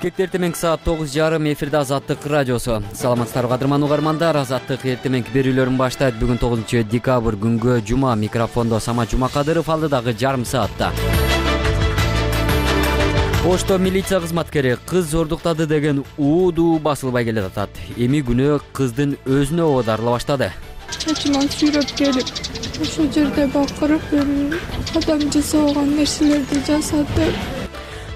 Бишкекте эртең саат 9:30 эфирде Азаттык радиосу. Саламатсыздарбы кадырман угармандар, Азаттык эртең берүүлөрүн баштайт. Бүгүн 9-декабрь күнгө жума. Микрофондо Самат Жумакадыров, алдыдагы жарым саатта. Ошто милиция кызматкери кыз зордуктады деген ууду басылбай келе жатат. Эми күнөө кыздын өзүнө оодарыла баштады. Чачыман сүйрөп келип, ошол жерде бакырып, адам жасабаган нерселерди жасады.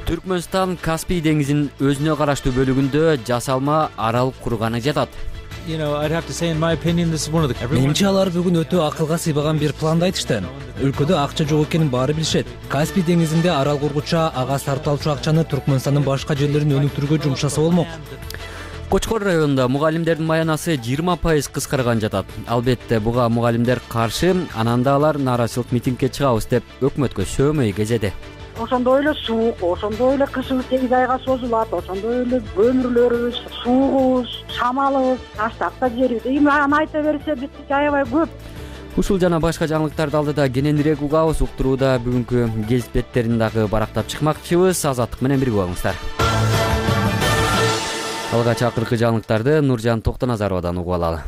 Түркмөнстан Каспий деңизинин өзүнө караштуу бөлүгүндө жасалма арал курганы жатат. Менимче алар бүгүн өтө акылга сыйбаган бир планды айтышты. Өлкөдө акча жок экенин баары билишет. Каспий деңизинде арал кургуча ага сарталчу акчаны Түркмөнстандын башка жерлерин өнүктүрүүгө жумшаса болмок. Кочкор районунда мугалимдердин маянасы 20% кыскарган жатат. Албетте буга мугалимдер каршы, ананда алар нааразычылык митингге чыгабыз деп өкмөткө сөөмөй кезеди. Ошондой эле суук, ондой эле кышыбыз 8 айга созулат, ошондой эле көмүрлөрүбүз, суугубуз, шамалыбыз таштап да жибербейт. Эми аны айта берсе биз аябай көп. Ушул жана башка жаңылыктарды алдыда кененирээк угабыз. Уктурууда бүгүнкү гезит беттерин дагы барактап чыкмакчыбыз. Азаттык менен бирге болуңуздар. Алгач акыркы жаңылыктарды Нуржан Токтоназаровадан угуп алалы.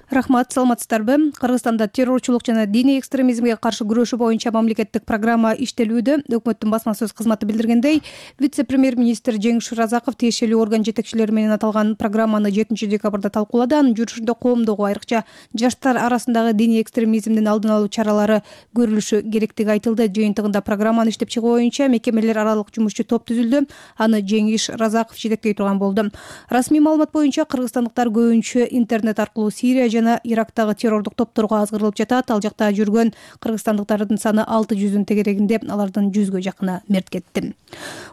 Рахмат, саламатсыздарбы? Кыргызстанда террорчулук жана диний экстремизмге каршы күрөшүү боюнча мамлекеттик программа иштелүүдө. Өкмөттүн басма сөз кызматы билдиргендей, вице-премьер-министр Жеңиш Разаков тиешелүү орган жетекчилери менен аталган программаны 7-декабрда талкуулады. Анын жүрүшүндө коомдогу, айрыкча жаштар арасындагы диний экстремизмдин алдын алуу чаралары көрүлүшү керектиги айтылды. Жыйынтыгында программаны иштеп чыгуу боюнча мекемелер аралык жумушчу топ түзүлдү. Аны Жеңиш Разаков жетектей турган болду. Расмий маалымат боюнча кыргызстандыктар көбүнчө интернет аркылуу Сирия жана Ирактагы террордук топторго азгырылып жатат. Ал жакта жүргөн кыргызстандыктардын саны 600-дун тегерегинде, алардын 100гө жакыны мерт кетти.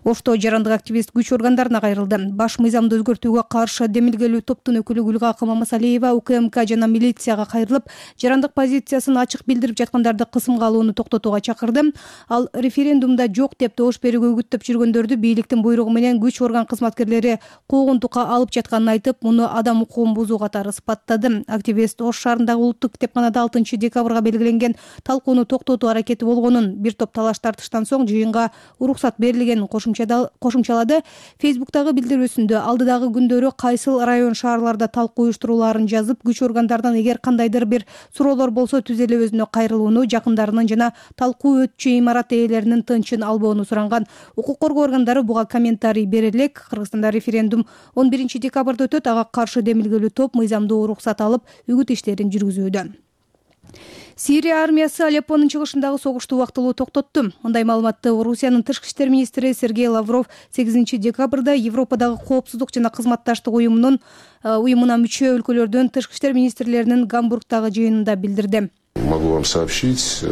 Ошто жарандык активист күч органдарына кайрылды. Баш мыйзамды өзгөртүүгө каршы демилгелүү топтун өкүлү Гүлгакы Мамасалиева УКМК жана милицияга кайрылып, жарандык позициясын ачык билдирип жаткандарды кысымга алууну токтотууга чакырды. Ал референдумда жок деп добуш берүүгө үгүттөп жүргөндөрдү бийликтин буйругу менен күч орган кызматкерлери куугунтукка алып жатканын айтып, муну адам укугун бузуу катары сыпаттады. Активист Ош шаарындагы улуттук китепканада 6-декабрга белгиленген талкууну токтотуу аракети болгонун, бир топ талаш тартыштан соң жыйынга уруксат берилгенин кошумчалады. Фейсбуктагы билдирүүсүндө алдыдагы күндөрү кайсыл район шаарларда талкуу уюштурулаарын жазып, күч органдарынан эгер кандайдыр бир суроолор болсо түз эле өзүнө кайрылууну, жакындарынын жана талкуу өтчү имарат ээлеринин тынчын албоону суранган. Укук коргоо органдары буга комментарий бере элек. Кыргызстанда референдум 11-декабрда өтөт. Ага каршы демилгелүү топ мыйзамдуу уруксат алып, үгүт иштерин жүргүзүүдө. Сирия армиясы Алеппонун чыгышындагы согушту убактылуу токтотту. Мындай маалыматты Орусиянын тышкы иштер министри Сергей Лавров 8-декабрда Европадагы коопсуздук жана кызматташтык уюмуна мүчө өлкөлөрдүн тышкы иштер министрлеринин Гамбургдагы жыйынында билдирди. Могу вам сообщить,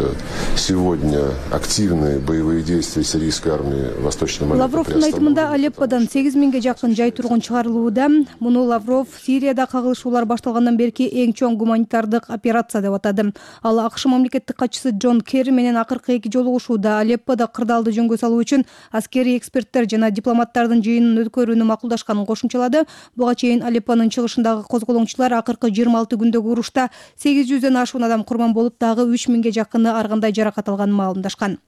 сегодня активные боевые действия сирийской армии Восточной Мали. Лавровдун айтымында Алепподан 8000ге жакын жай тургун чыгарылууда. Муну Лавров Сирияда кагылышуулар башталгандан берки эң чоң гуманитардык операция деп атады. Ал АКШ мамлекеттик катчысы Джон Керри менен акыркы эки жолугушууда Алеппода кырдаалды жөнгө салуу үчүн аскерий эксперттер жана дипломаттардын жыйынын өткөрүүнү макулдашканын кошумчалады. Буга чейин Алеппонун чыгышындагы козголоңчулар акыркы 26 күндөгү урушта 800дөн ашуун адам курман болуп, дагы 3000ге жакыны ар кандай жаракат алганын маалымдашкан.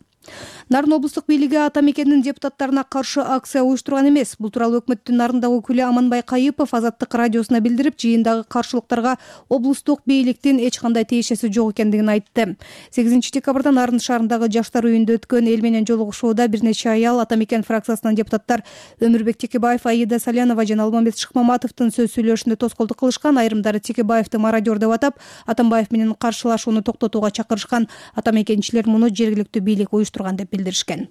Нарын облустук бийлиги ата мекенин депутаттарына каршы акция уюштурган эмес. Бул тууралуу өкмөттүн Нарындагы өкүлү Аманбай Кайыпов Азаттык радиосуна билдирип, жыйындагы каршылыктарга облустук бийликтин эч кандай тиешеси жок экендигин айтты. 8-декабрда Нарын шаарындагы жаштар үйүндө өткөн эл менен жолугушууда бир нече аял ата мекен фракциясынын депутаттар Өмүрбек Текебаев, Аида Салянова жана Алмамбет Шыкмаматовдун сөз сүйлөшүндө тоскоолдук кылышкан. Айрымдары Текебаевди мародер деп атап, Атамбаев менен каршылашууну токтотууга чакырышкан. Ата мекенчилер муну жергиликтүү бийлик уюштурган деп билдиришкен.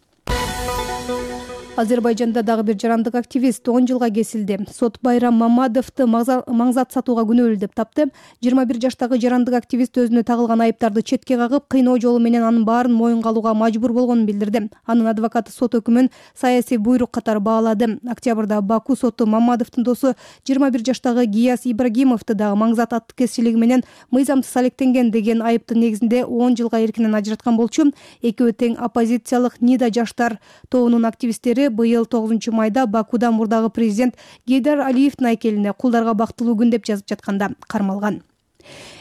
Азербайжанда дагы бир жарандык активист 10 жылга кесилди. Сот Байрам Мамадовду маңзат сатууга күнөөлүү деп тапты. 21 жаштагы жарандык активист өзүнө тагылган айыптарды четке кагып, кыйноо жолу менен анын баарын моюнга алууга мажбур болгонун билдирди. Анын адвокаты сот өкүмүн саясий буйрук катары баалады. Октябрда Баку соту Мамадовдун досу 21 жаштагы Гияс Ибрагимовду дагы маңзат аткезчилиги менен мыйзамсыз алектенген деген айыптын негизинде 10 жылга эркинен ажыраткан болчу. Экөө тең оппозициялык Нида жаштар тобунун активисттери быйыл 9-майда Бакуда мурдагы президент Гейдар Алиевдин айкелине кулдарга бактылуу күн деп жазып жатканда кармалган.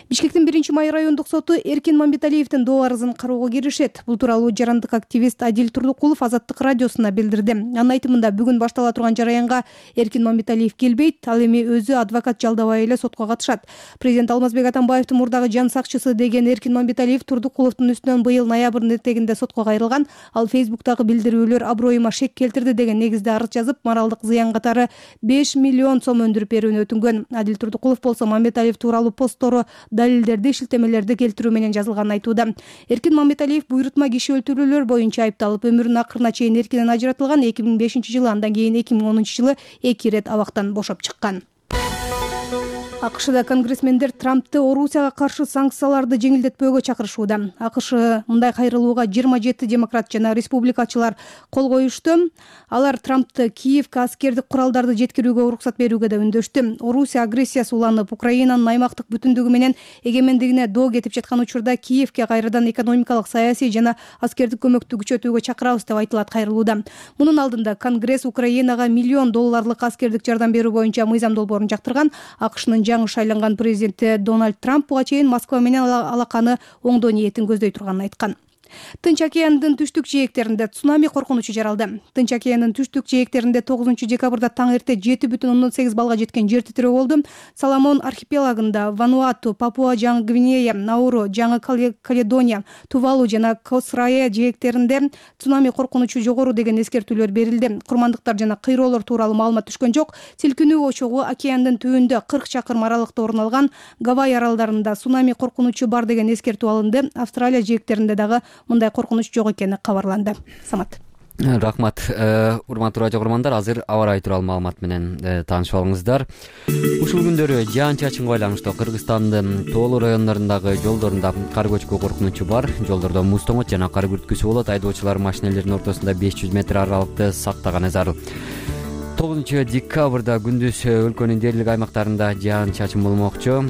Бишкектин 1-Май райондук соту Эркин Мамбеталиевдин доо арызын кароого киришет. Бул тууралуу жарандык активист Адил Турдукулов Азаттык радиосуна билдирди. Анын айтымында бүгүн баштала турган жараянга Эркин Мамбеталиев келбейт, ал эми өзү адвокат жалдабай эле сотко катышат. Президент Алмазбек Атамбаевдин мурдагы жан сакчысы деген Эркин Мамбеталиев Турдукуловдун үстүнөн быйыл ноябрдын этегинде сотко кайрылган. Ал Фейсбуктагы билдирүүлөр аброюма шек келтирди деген негизде арыз жазып, моралдык зыян катары 5 миллион сом өндүрүп берүүнү өтүнгөн. Адил Турдукулов болсо Мамбеталиев тууралуу посттору, далилдерди, шилтемелерди келтирүү менен жазылганын айтууда. Эркин Мамбеталиев буйрутма киши өлтүрүүлөр боюнча айыпталып, өмүрүнүн акырына чейин эркинен ажыратылган. 2005-жылы, андан кийин 2010-жылы 2 ирет абактан бошоп чыккан. АКШда конгрессмендер Трампты Орусияга каршы санкцияларды жеңилдетпөөгө чакырышууда. АКШ мындай кайрылууга 27 демократ жана республикачылар кол коюшту. Алар Трампты Киевге аскердик куралдарды жеткирүүгө уруксат берүүгө да үндөштү. Орусия агрессиясы уланып, Украинанын аймактык бүтүндүгү менен эгемендигине доо кетип жаткан учурда Киевге кайрадан экономикалык, саясий жана аскердик көмөктү күчөтүүгө чакырабыз деп айтылат кайрылууда. Мунун алдында Конгресс Украинага $1 миллион аскердик жардам берүү боюнча мыйзам долбоорун жактырган. АКШнын жаңы шайланган президенти Дональд Трамп буга чейин Москва менен алаканы оңдоо ниетин көздөй турганын айткан. Тынч океандын түштүк жээктеринде цунами коркунучу жаралды. Тынч океандын түштүк жээктеринде 9-декабрда таң эрте 7,8 балга жеткен жер титирөө болду. Соломон архипелагында, Вануату, Папуа Жаңы Гвинея, Науру, Жаңы Каледония, Тувалу жана Косрая жээктеринде цунами коркунучу жогору деген эскертүүлөр берилди. Курмандыктар жана кыйроолор тууралуу маалымат түшкөн жок. Силкинүү очогу океандын түбүндө 40 чакырым аралыкта орун алган. Гавай аралдарында цунами коркунучу бар деген эскертүү алынды. Австралия жээктеринде дагы мындай коркунуч жок экени кабарланды. Самат. Рахмат. Урматтуу радио көрөрмандар, азыр аба ырайы тууралуу маалымат менен таанышып алыңыздар. Ушул күндөрү жаан-чачынга байланыштуу Кыргызстандын тоолуу райондорундагы жолдорунда кар көчкү коркунучу бар. Жолдордо муз тоңот жана кар күрткүсү болот. Айдоочулар машинелердин ортосунда 500 метр аралыкты сактаганы зарыл. 9-декабрда күндүз өлкөнүн дээрлик аймактарында жаан-чачын болмокчу.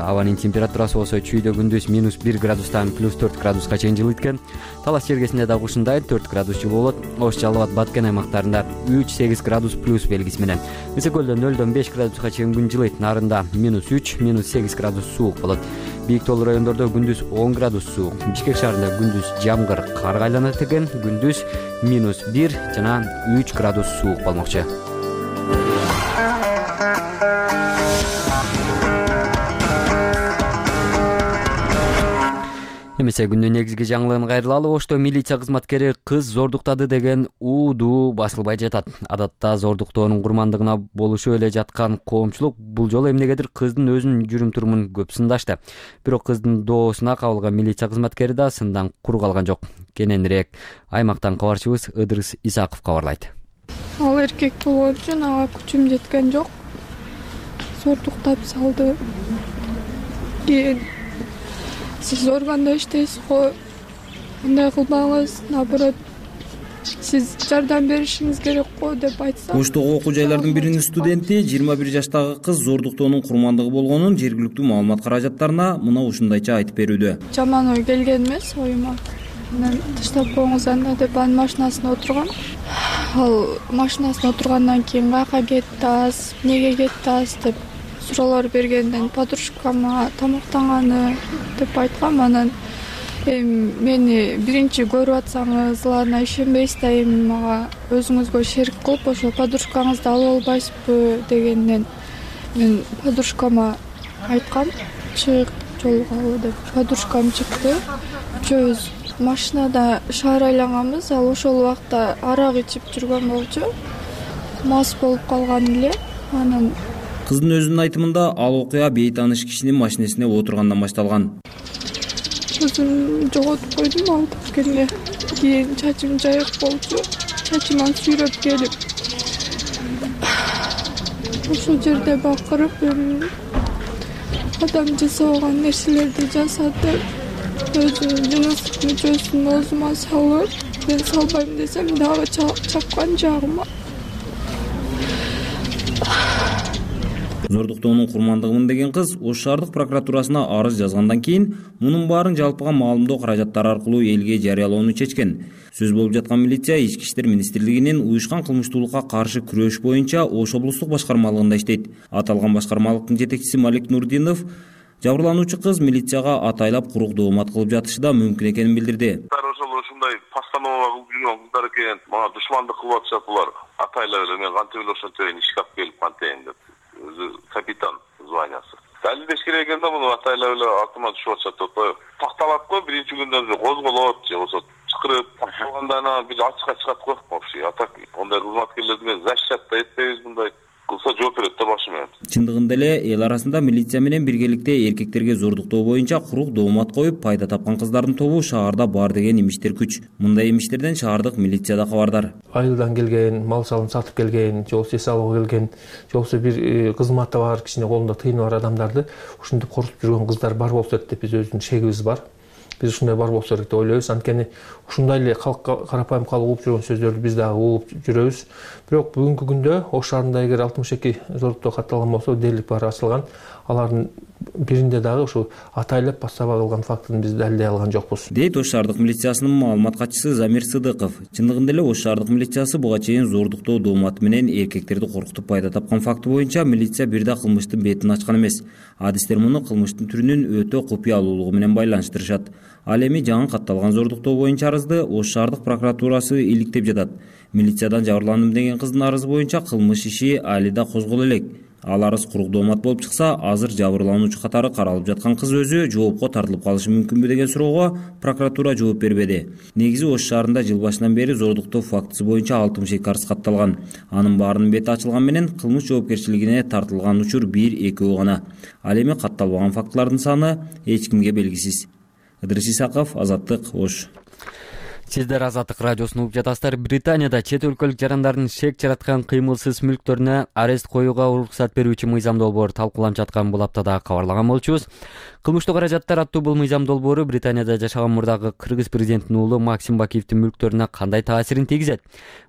Абанын температурасы болсо чүйдө күндүз -1 градустан +4 градуска чейин жылыйт экен. Талас чергесинде дагы ушундай 4 градус жылуу болот. Ош, Жалал Абад, Баткен аймактарында 3-8 градус плюс белгиси менен. Ысыкөлдө 0-дон 5 градуска чейин күн жылыйт. Нарында -3, -8 градус суук болот. Бийик тоолуу райондордо күндүз 10 градус суук. Бишкек шаарында күндүз жамгыр, карга айланат экен. Күндүз -1 жана 3 градус суук болмокчу. Эмесе күндүн негизги жаңылыгын кайрылалы. Ошто милиция кызматкери кыз зордуктады деген уудуу басылбай жатат. Адатта зордуктоонун курмандыгына болушуп эле жаткан коомчулук бул жолу эмнегедир кыздын өзүнүн жүрүм-турумун көп сындашты. Бирок кыздын доосуна кабылган милиция кызматкери да сындан кур калган жок. Кененирээк аймактан кабарчыбыз Ыдырыс Исаков кабарлайт. Ал эркек болгон үчүн ага күчүм жеткен жок. Зордуктап салды. Кийин сиз органда иштейсиз го, мындай кылбаңыз, наоборот, сиз жардам беришиңиз керек го деп айтса. Оштогу окуу жайлардын биринин студенти 21 жаштагы кыз зордуктоонун курмандыгы болгонун жергиликтүү маалымат каражаттарына мына ушундайча айтып берүүдө. Жаман ой келген эмес оюма. Мен таштап коюңуз анда деп анын машинасына отургам. Ал машинасына отургандан кийин каяка кеттиз, эмнеге кеттиз деп суроолор бергенден подружкама тамактанганы деп айткам. Анан мени биринчи көрүп атсаңыз, ишенбейсиз да, мага өзүңүзгө шерик кылып ошо подружкаңызды алып албайсызбы дегенден мен подружкама айткам, чык жолугалы деп. Подружкам чыкты. Үчөөбүз машинада шаар айланганбыз. Ал ошол убакта арак ичип жүргөн болчу. Мас болуп калган эле. Анан кыздын өзүнүн айтымында ал окуя бейтааныш кишинин машинесине отургандан башталган. Өзүм жоготуп койдум алып келгенде. Кийин чачым жайык болчу. Чачыман сүйрөп келип ошол жерде бакырып адам жасабаган нерселерди жасатып, өзүнүн жыныстык мүчөсүн оозума салып, мен салбайм десем дагы чапкан жагыма. Зордуктоонун курмандыгымын деген кыз Ош шаардык прокуратурасына арыз жазгандан кийин мунун баарын жалпыга маалымдоо каражаттары аркылуу элге жарыялоону чечкен. Сөз болуп жаткан милиция Ички иштер министрлигинин уюшкан кылмыштуулукка каршы күрөш боюнча Ош облустук башкармалыгында иштейт. Аталган башкармалыктын жетекчиси Малик Нурдинов Жабырлануучу кыз милицияга атайлап курук доомат кылып жатышы да мүмкүн экенин билдирди. Ушундай постанова кылып жүргөн кыздар экен, мага душмандык кылып атышат булар. Атайлап эле мен кантип эле ошентейин ишке алып келип кантейин деп. Өзү капитан званиясы. Далилдеш керек экен да, муну атайлап эле артыма түшүп атышат деп. Такталат го биринчи күндөн козголот же болбосо чакырып такталганда анан бир ачыкка чыгат го. Вообще атак ондай кызматкерлерди мен защищать да этпейбиз, мындай кылса жооп берет да башы менен. Чындыгында эле эл арасында милиция менен биргеликте эркектерге зордуктоо боюнча курук доомат коюп пайда тапкан кыздардын тобу шаарда бар деген имиштер күч. Мындай имиштерден шаардык милиция да кабардар. Айылдан келген, мал салын сатып келген, же болбосо эс алууга келген, же болбосо бир кызматы бар, кичине колунда тыйыны бар адамдарды ушинтип коркутуп жүргөн кыздар бар болсо керек деп биз өзүбүздүн шегибиз бар. Биз ушундай бар болсо керек деп ойлойбуз. Анткени ушундай эле калкка карапайым калып угуп жүргөн сөздөрдү биз дагы угуп жүрөбүз. Бирок бүгүнкү күндө Ош шаарында эгер 62 зордуктоо катталган болсо, дээрлик баары ачылган. Алардын биринде дагы ушу атайлап пассава кылган фактын биз далилдей алган жокпуз. Дейт Ош шаардык милициясынын маалымат катчысы Замир Сыдыков. Чындыгында эле Ош шаардык милициясы буга чейин зордуктоо дооматы менен эркектерди коркутуп пайда тапкан факты боюнча милиция бир да кылмыштын бетин ачкан эмес. Адистер муну кылмыштын түрүнүн өтө купуялуулугу менен байланыштырышат. Ал эми жаңы катталган зордуктоо боюнча арызды Ош шаардык прокуратурасы иликтеп жатат. Милициядан жабырландым деген кыздын арызы боюнча кылмыш иши али да козголо элек. Ал арыз курук доомат болуп чыкса, азыр жабырлануучу катары каралып жаткан кыз өзү жоопко тартылып калышы мүмкүнбү деген суроого прокуратура жооп бербеди. Негизи Ош шаарында жыл башынан бери зордуктоо фактысы боюнча 62 арыз катталган. Анын баарынын бети ачылган менен кылмыш жоопкерчилигине тартылган учур 1-2 гана. Ал эми катталбаган фактылардын саны эч кимге белгисиз. Ыдырыс Исаков, Азаттык, Ош. Сиздер Азаттык радиосун угуп жатасыздар. Британияда чет өлкөлүк жарандардын шек жараткан кыймылсыз мүлктөрүнө арест коюуга уруксат берүүчү мыйзам долбоор талкууланып жаткан бул аптада кабарлаган болчубуз. Кылмыштуу каражаттар аттуу бул мыйзам долбоору Британияда жашаган мурдагы кыргыз президентинин уулу Максим Бакиевдин мүлктөрүнө кандай таасирин тийгизет?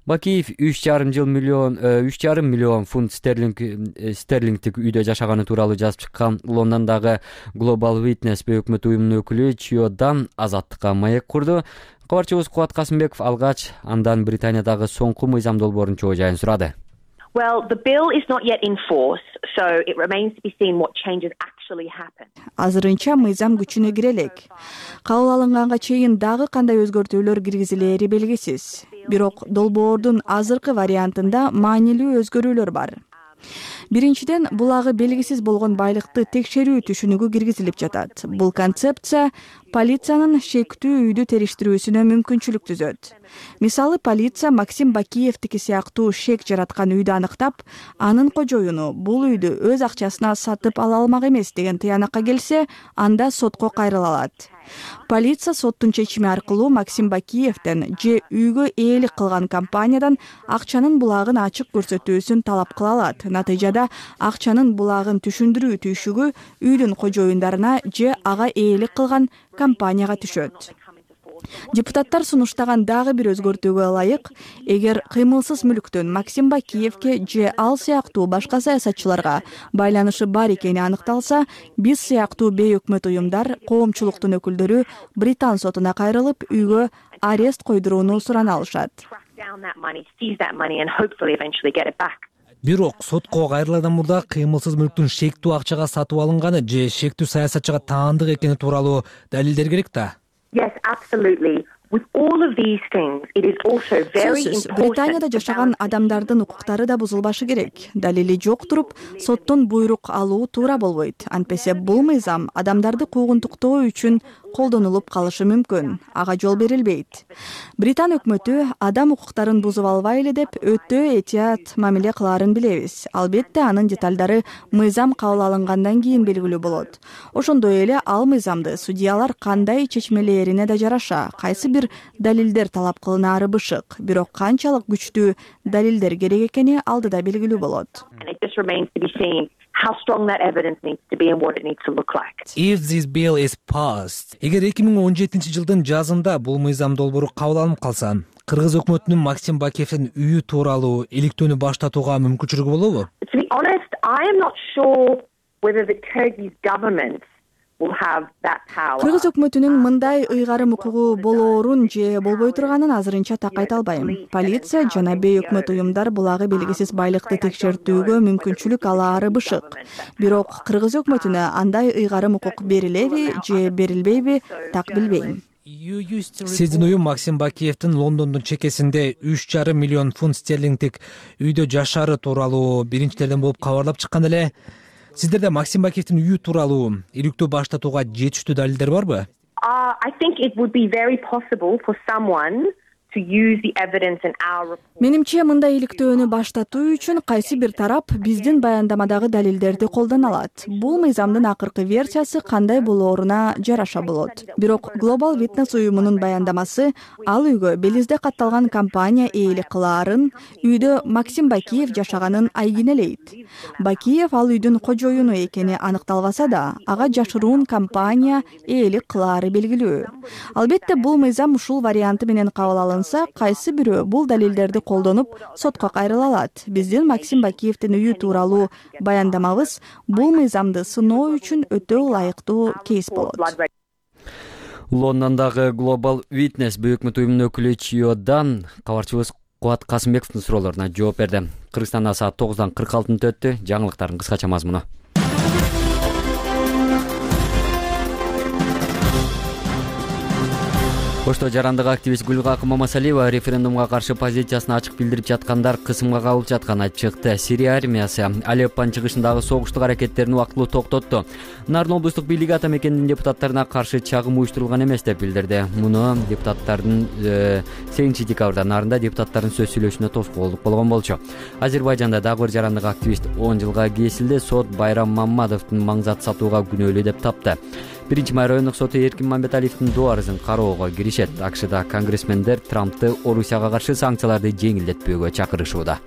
Бакиев 3,5 миллион фунт стерлингдик үйдө жашаганы тууралуу жазып чыккан Лондондогу Global Witness өкмөт уюмунун өкүлү Чиодан Азаттыкка маек курду. Кабарчыбыз Кубат Касымбеков алгач андан Британиядагы соңку мыйзам долбоорунун чоо жайын сурады. Well, the bill is not yet in force, so it remains to be seen what changes actually happen. Азырынча мыйзам күчүнө кире элек. Кабыл алынганга чейин дагы кандай өзгөртүүлөр киргизилери белгисиз. Бирок долбоордун азыркы вариантында маанилүү өзгөрүүлөр бар. Биринчиден, булагы белгисиз болгон байлыкты текшерүү түшүнүгү киргизилип жатат. Бул концепция полициянын шектүү үйдү териштирүүсүнө мүмкүнчүлүк түзөт. Мисалы, полиция Максим Бакиевдики сыяктуу шек жараткан үйдү аныктап, анын кожоюну бул үйдү өз акчасына сатып ала алмак эмес деген тыянакка келсе, анда сотко кайрыла алат. Полиция соттун чечими аркылуу Максим Бакиевден же үйгө ээлик кылган компаниядан акчанын булагын ачык көрсөтүүсүн талап кыла алат. Натыйжада акчанын булагын түшүндүрүү түйшүгү үйдүн кожоюндарына же ага ээлик кылган компанияга түшөт. Депутаттар сунуштаган дагы бир өзгөртүүгө ылайык, эгер кыймылсыз мүлктүн Максим Бакиевке же ал сыяктуу башка саясатчыларга байланышы бар экени аныкталса, биз сыяктуу бейөкмөт уюмдар, коомчулуктун өкүлдөрү Британ сотуна кайрылып, үйгө арест койдурууну сурана алышат. Бирок сотко кайрылуудан мурда кыймылсыз мүлктүн шектүү акчага сатып алынганы же шектүү саясатчыга таандык экени тууралуу далилдер керек да. Yes, absolutely. With all of these things, it is also very important. Британияда жашаган адамдардын укуктары да бузулбашы керек. Далили жок туруп, соттон буйрук алуу туура болбойт. Антпесе бул мыйзам адамдарды куугунтуктоо үчүн колдонулуп калышы мүмкүн. Ага жол берилбейт. Британ өкмөтү адам укуктарын бузуп албайлы деп өтө этият мамиле кылаарын билебиз. Албетте анын деталдары мыйзам кабыл алынгандан кийин белгилүү болот. Ошондой эле ал мыйзамды судьялар кандай чечмелерине да жараша, кайсы бир далилдер талап кылынаары бышык. Бирок канчалык күчтүү далилдер керек экени алдыда белгилүү болот. How strong that evidence needs to be and what it needs to look like. If this bill is passed, эгер 2017-жылдын жазында бул мыйзам долбоору кабыл алынып калса, кыргыз өкмөтүнүн Максим Бакиевдин үйү тууралуу иликтөөнү баштатууга мүмкүнчүлүгү болобу? To be honest, I am not sure whether the Kyrgyz government will have that power. Кыргыз өкмөтүнүн мындай ыйгарым укугу болоорун же болбой турганын азырынча так айта албайм. Полиция жана бейөкмөт уюмдар булагы белгисиз байлыкты текшертүүгө мүмкүнчүлүк алаары бышык. Бирок Кыргыз өкмөтүнө андай ыйгарым укук берилеби же берилбейби, так билбейм. Сиздин уюм Максим Бакиевдин Лондондун чекесинде 3,5 миллион фунт стерлингдик үйдө жашаары тууралуу биринчилерден болуп кабарлап чыккан эле. Сиздерде Максим Бакиевдин үйү тууралуу иликтөө баштатууга жетиштүү далилдер барбы? I think it would be very possible for someone to use the evidence in our report. Менимче мындай иликтөөнү баштатуу үчүн кайсы бир тарап биздин баяндамадагы далилдерди колдоно алат. Бул мыйзамдын акыркы версиясы кандай болооруна жараша болот. Бирок Global Witness уюмунун баяндамасы ал үйгө Белизде катталган компания ээлик кылаарын, үйдө Максим Бакиев жашаганын айгинелейт. Бакиев ал үйдүн кожоюну экени аныкталбаса да, ага жашыруун компания ээлик кылаары белгилүү. Албетте бул мыйзам ушул варианты менен кабыл алынса, кайсы бирөө бул далилдерди колдонуп сотко кайрыла алат. Биздин Максим Бакиевдин үйү тууралуу баяндамабыз бул мыйзамды сыноо үчүн өтө ылайыктуу кейс болот. Лондондогу Global Witness бейөкмөт уюмунун өкүлү Чиодан кабарчыбыз Кубат Касымбековдун суроолоруна жооп берди. Кыргызстанда саат 9:46 өттү. Жаңылыктардын кыскача мазмуну. Ошто жарандык активист Гүлгакы Мамасалиева референдумга каршы позициясын ачык билдирип жаткандар кысымга кабылып жатканын айтып чыкты. Сирия армиясы Алеппонун чыгышындагы согуштук аракеттерин убактылуу токтотту. Нарын облустук бийлиги ата мекендин депутаттарына каршы чагым уюштурулган эмес деп билдирди. Муну депутаттардын 8 декабрда Нарында депутаттардын сөз сүйлөшүнө тоскоолдук болгон болчу. Азербайжанда дагы бир жарандык активист 10 жылга кесилди. Сот Байрам Маммадовдун маңзат сатууга күнөөлүү деп тапты. 1-май райондук соту Эркин Мамбеталиевдин доо арызын кароого киришет. АКШда конгрессмендер Трампты Орусияга каршы санкцияларды жеңилдетпөөгө чакырышууда.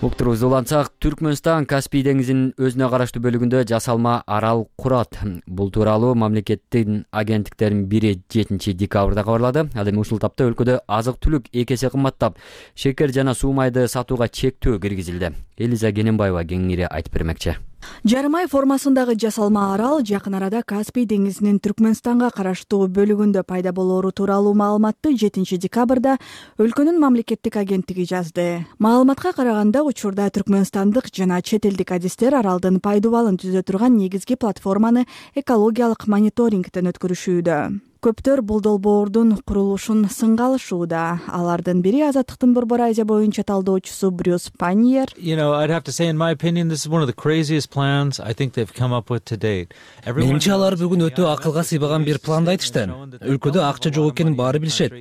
Уктурубузду улантсак, Түркмөнстан Каспий деңизинин өзүнө караштуу бөлүгүндө жасалма арал курат. Бул тууралуу мамлекеттин агенттиктеринин бири 7 декабрда кабарлады. Ал эми ушул тапта өлкөдө азык-түлүк 2 эсе кымбаттап, шекер жана суу майды сатууга чектөө киргизилди. Элиза Кененбаева кеңири айтып бермекчи. Жарым ай формасындагы жасалма арал жакын арада Каспий деңизинин Түркмөнстанга караштуу бөлүгүндө пайда болоору тууралуу маалыматты 7 декабрда өлкөнүн мамлекеттик агенттиги жазды. Маалыматка караганда учурда түркмөнстандык жана чет элдик адистер аралдын пайдубалын түзө турган негизги платформаны экологиялык мониторингден өткөрүшүүдө. Көптөр бул долбоордун курулушун сынга алышууда. Алардын бири Азаттыктын Борбор Азия боюнча талдоочусу Брюс Паньер. I'd have to say, in my opinion, this is one of the craziest plans I think they've come up with to date. Менимче алар бүгүн өтө акылга сыйбаган бир планды айтышты. Өлкөдө акча жок экенин баары билишет.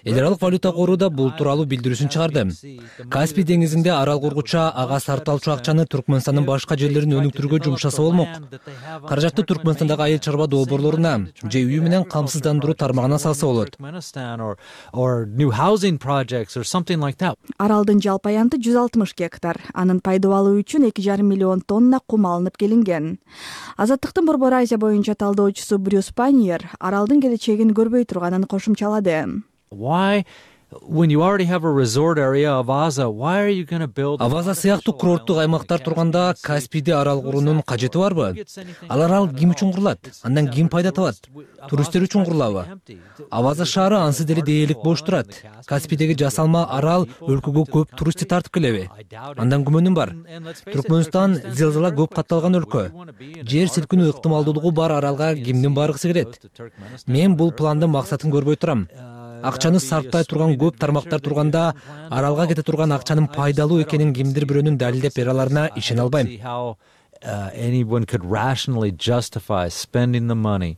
Эл аралык валюта кору да бул тууралуу билдирүүсүн чыгарды. Каспий деңизинде арал кургуча ага сарталчу акчаны Түркмөнстандын башка жерлерин өнүктүрүүгө жумшаса болмок. Каражатты Түркмөнстандагы айыл чарба долбоорлоруна же үйү менен камсыздандыруу тармагына салса болот. Аралдын жалпы аянты 160 гектар. Анын пайдубалы үчүн 2,5 миллион тонна кум алынып келинген. Азаттыктын Борбор Азия боюнча талдоочусу Брюс Паньер аралдын келечегин көрбөй турганын кошумчалады. Why? When you already have a resort area of Avaza, why are you going to build? Аваза сыяктуу курорттук аймактар турганда Каспийде арал куруунун кажети барбы? Ал арал ким үчүн курулат? Андан ким пайда табат? Туристтер үчүн курулабы? Аваза шаары ансыз деле дээрлик бош турат. Каспийдеги жасалма арал өлкөгө көп туристти тартып келеби? Андан күмөнүм бар. Түркмөнстан зилзала көп катталган өлкө. Жер силкинүү ыктымалдуулугу бар аралга кимдин баргысы келет? Мен бул пландын максатын көрбөй турам. Акчаны сарттай турган көп тармактар турганда аралга кете турган акчанын пайдалуу экенин кимдир бирөөнүн далилдеп бере аларына ишене албайм. Anyone could rationally justify spending the money.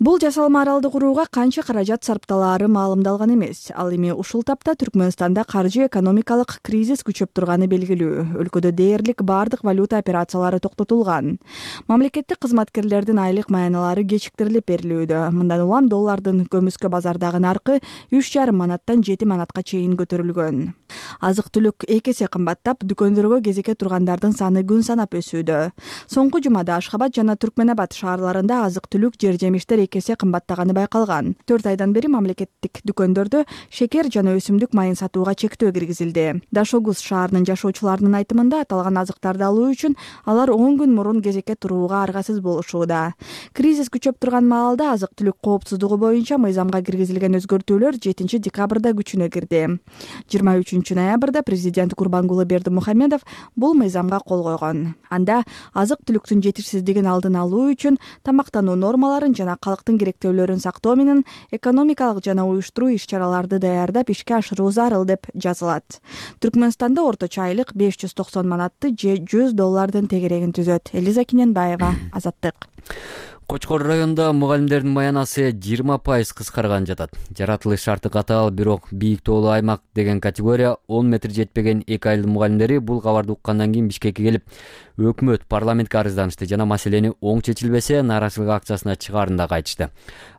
Бул жасалма аралды курууга канча каражат сарпталаары маалымдалган эмес. Ал эми ушул тапта Түркмөнстанда каржы экономикалык кризис күчөп турганы белгилүү. Өлкөдө дээрлик бардык валюта операциялары токтотулган. Мамлекеттик кызматкерлердин айлык маяналары кечиктирилип берилүүдө. Мындан улам доллардын көмүскө базардагы наркы 3,5 манаттан 7 манатка чейин көтөрүлгөн. Азык-түлүк 2 эсе кымбаттап, дүкөндөргө кезекке тургандардын саны күн санап өсүүдө. Соңку жумада Ашхабад жана Түркменабад шаарларында азык-түлүк жер жемиштер 2 эсе кымбаттаганы байкалган. 4 айдан бери мамлекеттик дүкөндөрдө шекер жана өсүмдүк майын сатууга чектөө киргизилди. Дашогуз шаарынын жашоочуларынын айтымында аталган азыктарды алуу үчүн алар 10 күн мурун кезекке турууга аргасыз болушууда. Кризис күчөп турган маалда азык-түлүк коопсуздугу боюнча мыйзамга киргизилген өзгөртүүлөр 7 декабрда күчүнө кирди. 23 ноябрда президент Курбангулы Бердимухамедов бул мыйзамга кол койгон. Анда азык-түлүктүн жетишсиздигин алдын алуу үчүн тамактануу нормаларын жана калктын керектөөлөрүн сактоо менен экономикалык жана уюштуруу иш-чараларды даярдап ишке ашыруу зарыл деп жазылат. Түркмөнстанда орточо айлык 590 манатты же $100 тегерегин түзөт. Элиза Киненбаева, Азаттык. Кочкор районунда мугалимдердин маянасы 20% кыскарган жатат. Жаратылыш шарты катаал, бирок бийик тоолуу аймак деген категория 10 метр жетпеген 2 айылдын мугалимдери бул кабарды уккандан кийин Бишкекке келип, өкмөт парламентке арызданышты жана маселени оң чечилбесе нааразычылык акциясына чыгаарын да айтышты.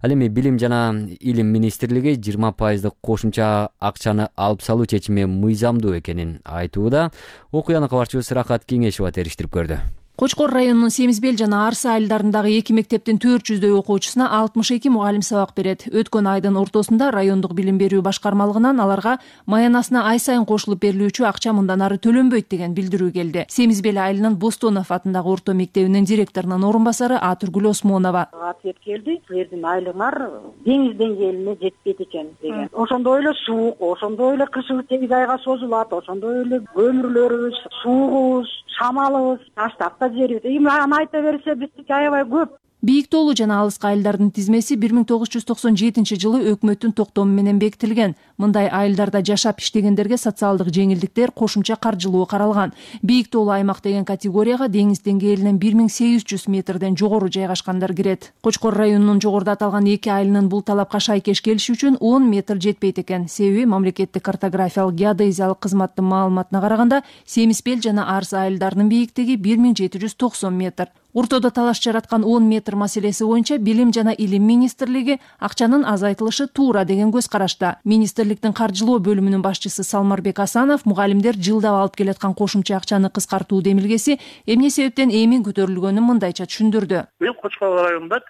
Ал эми Билим жана Илим министрлиги 20% кошумча акчаны алып салуу чечими мыйзамдуу экенин айтууда. Окуяны кабарчыбыз Рахат Кеңешова териштирип көрдү. Кочкор районунун Семизбел жана Арсы айылдарындагы 2 мектептин 400дөй окуучусуна 62 мугалим сабак берет. Өткөн айдын ортосунда райондук билим берүү башкармалыгынан аларга маянасына ай сайын кошулуп берилүүчү акча мындан ары төлөнбөйт деген билдирүү келди. Семизбел айылынын Бостонов атындагы орто мектебинин директорунун орун басары Атургүл Осмонова. Ответ келди, силердин айлыгыңар деңиз деңгээлине жетпейт экен деген. Ошондой эле суук, ошондой эле кышыбыз 8 айга созулат, ошондой эле көмүрлөрүбүз, суугубуз, шамалыбыз таштап жерибиз. Аны айта берсе биздики аябай көп. Бийик тоолуу жана алыскы айылдардын тизмеси 1997 жылы өкмөттүн токтому менен бекитилген. Мындай айылдарда жашап иштегендерге социалдык жеңилдиктер, кошумча каржылоо каралган. Бийик тоолуу аймак деген категорияга деңиз деңгээлинен 1800 метрден жогору жайгашкандар кирет. Кочкор районунун жогоруда аталган 2 айылынын бул талапка шайкеш келиши үчүн 10 метр жетпейт экен. Себеби мамлекеттик картографиялык геодезиялык кызматтын маалыматына караганда Семизбел жана Арсы айылдарынын бийиктиги 1790 метр. Уртодо талаш жараткан 10 метр маселеси боюнча Билим жана Илим министрлиги акчанын азайтылышы туура деген көз карашта. Министрликтин каржылоо бөлүмүнүн башчысы Салмарбек Асанов мугалимдер жылдап алып келаткан кошумча акчаны кыскартуу демилгеси эмне себептен эми көтөрүлгөнүн мындайча түшүндүрдү. Бул Кочкор районунда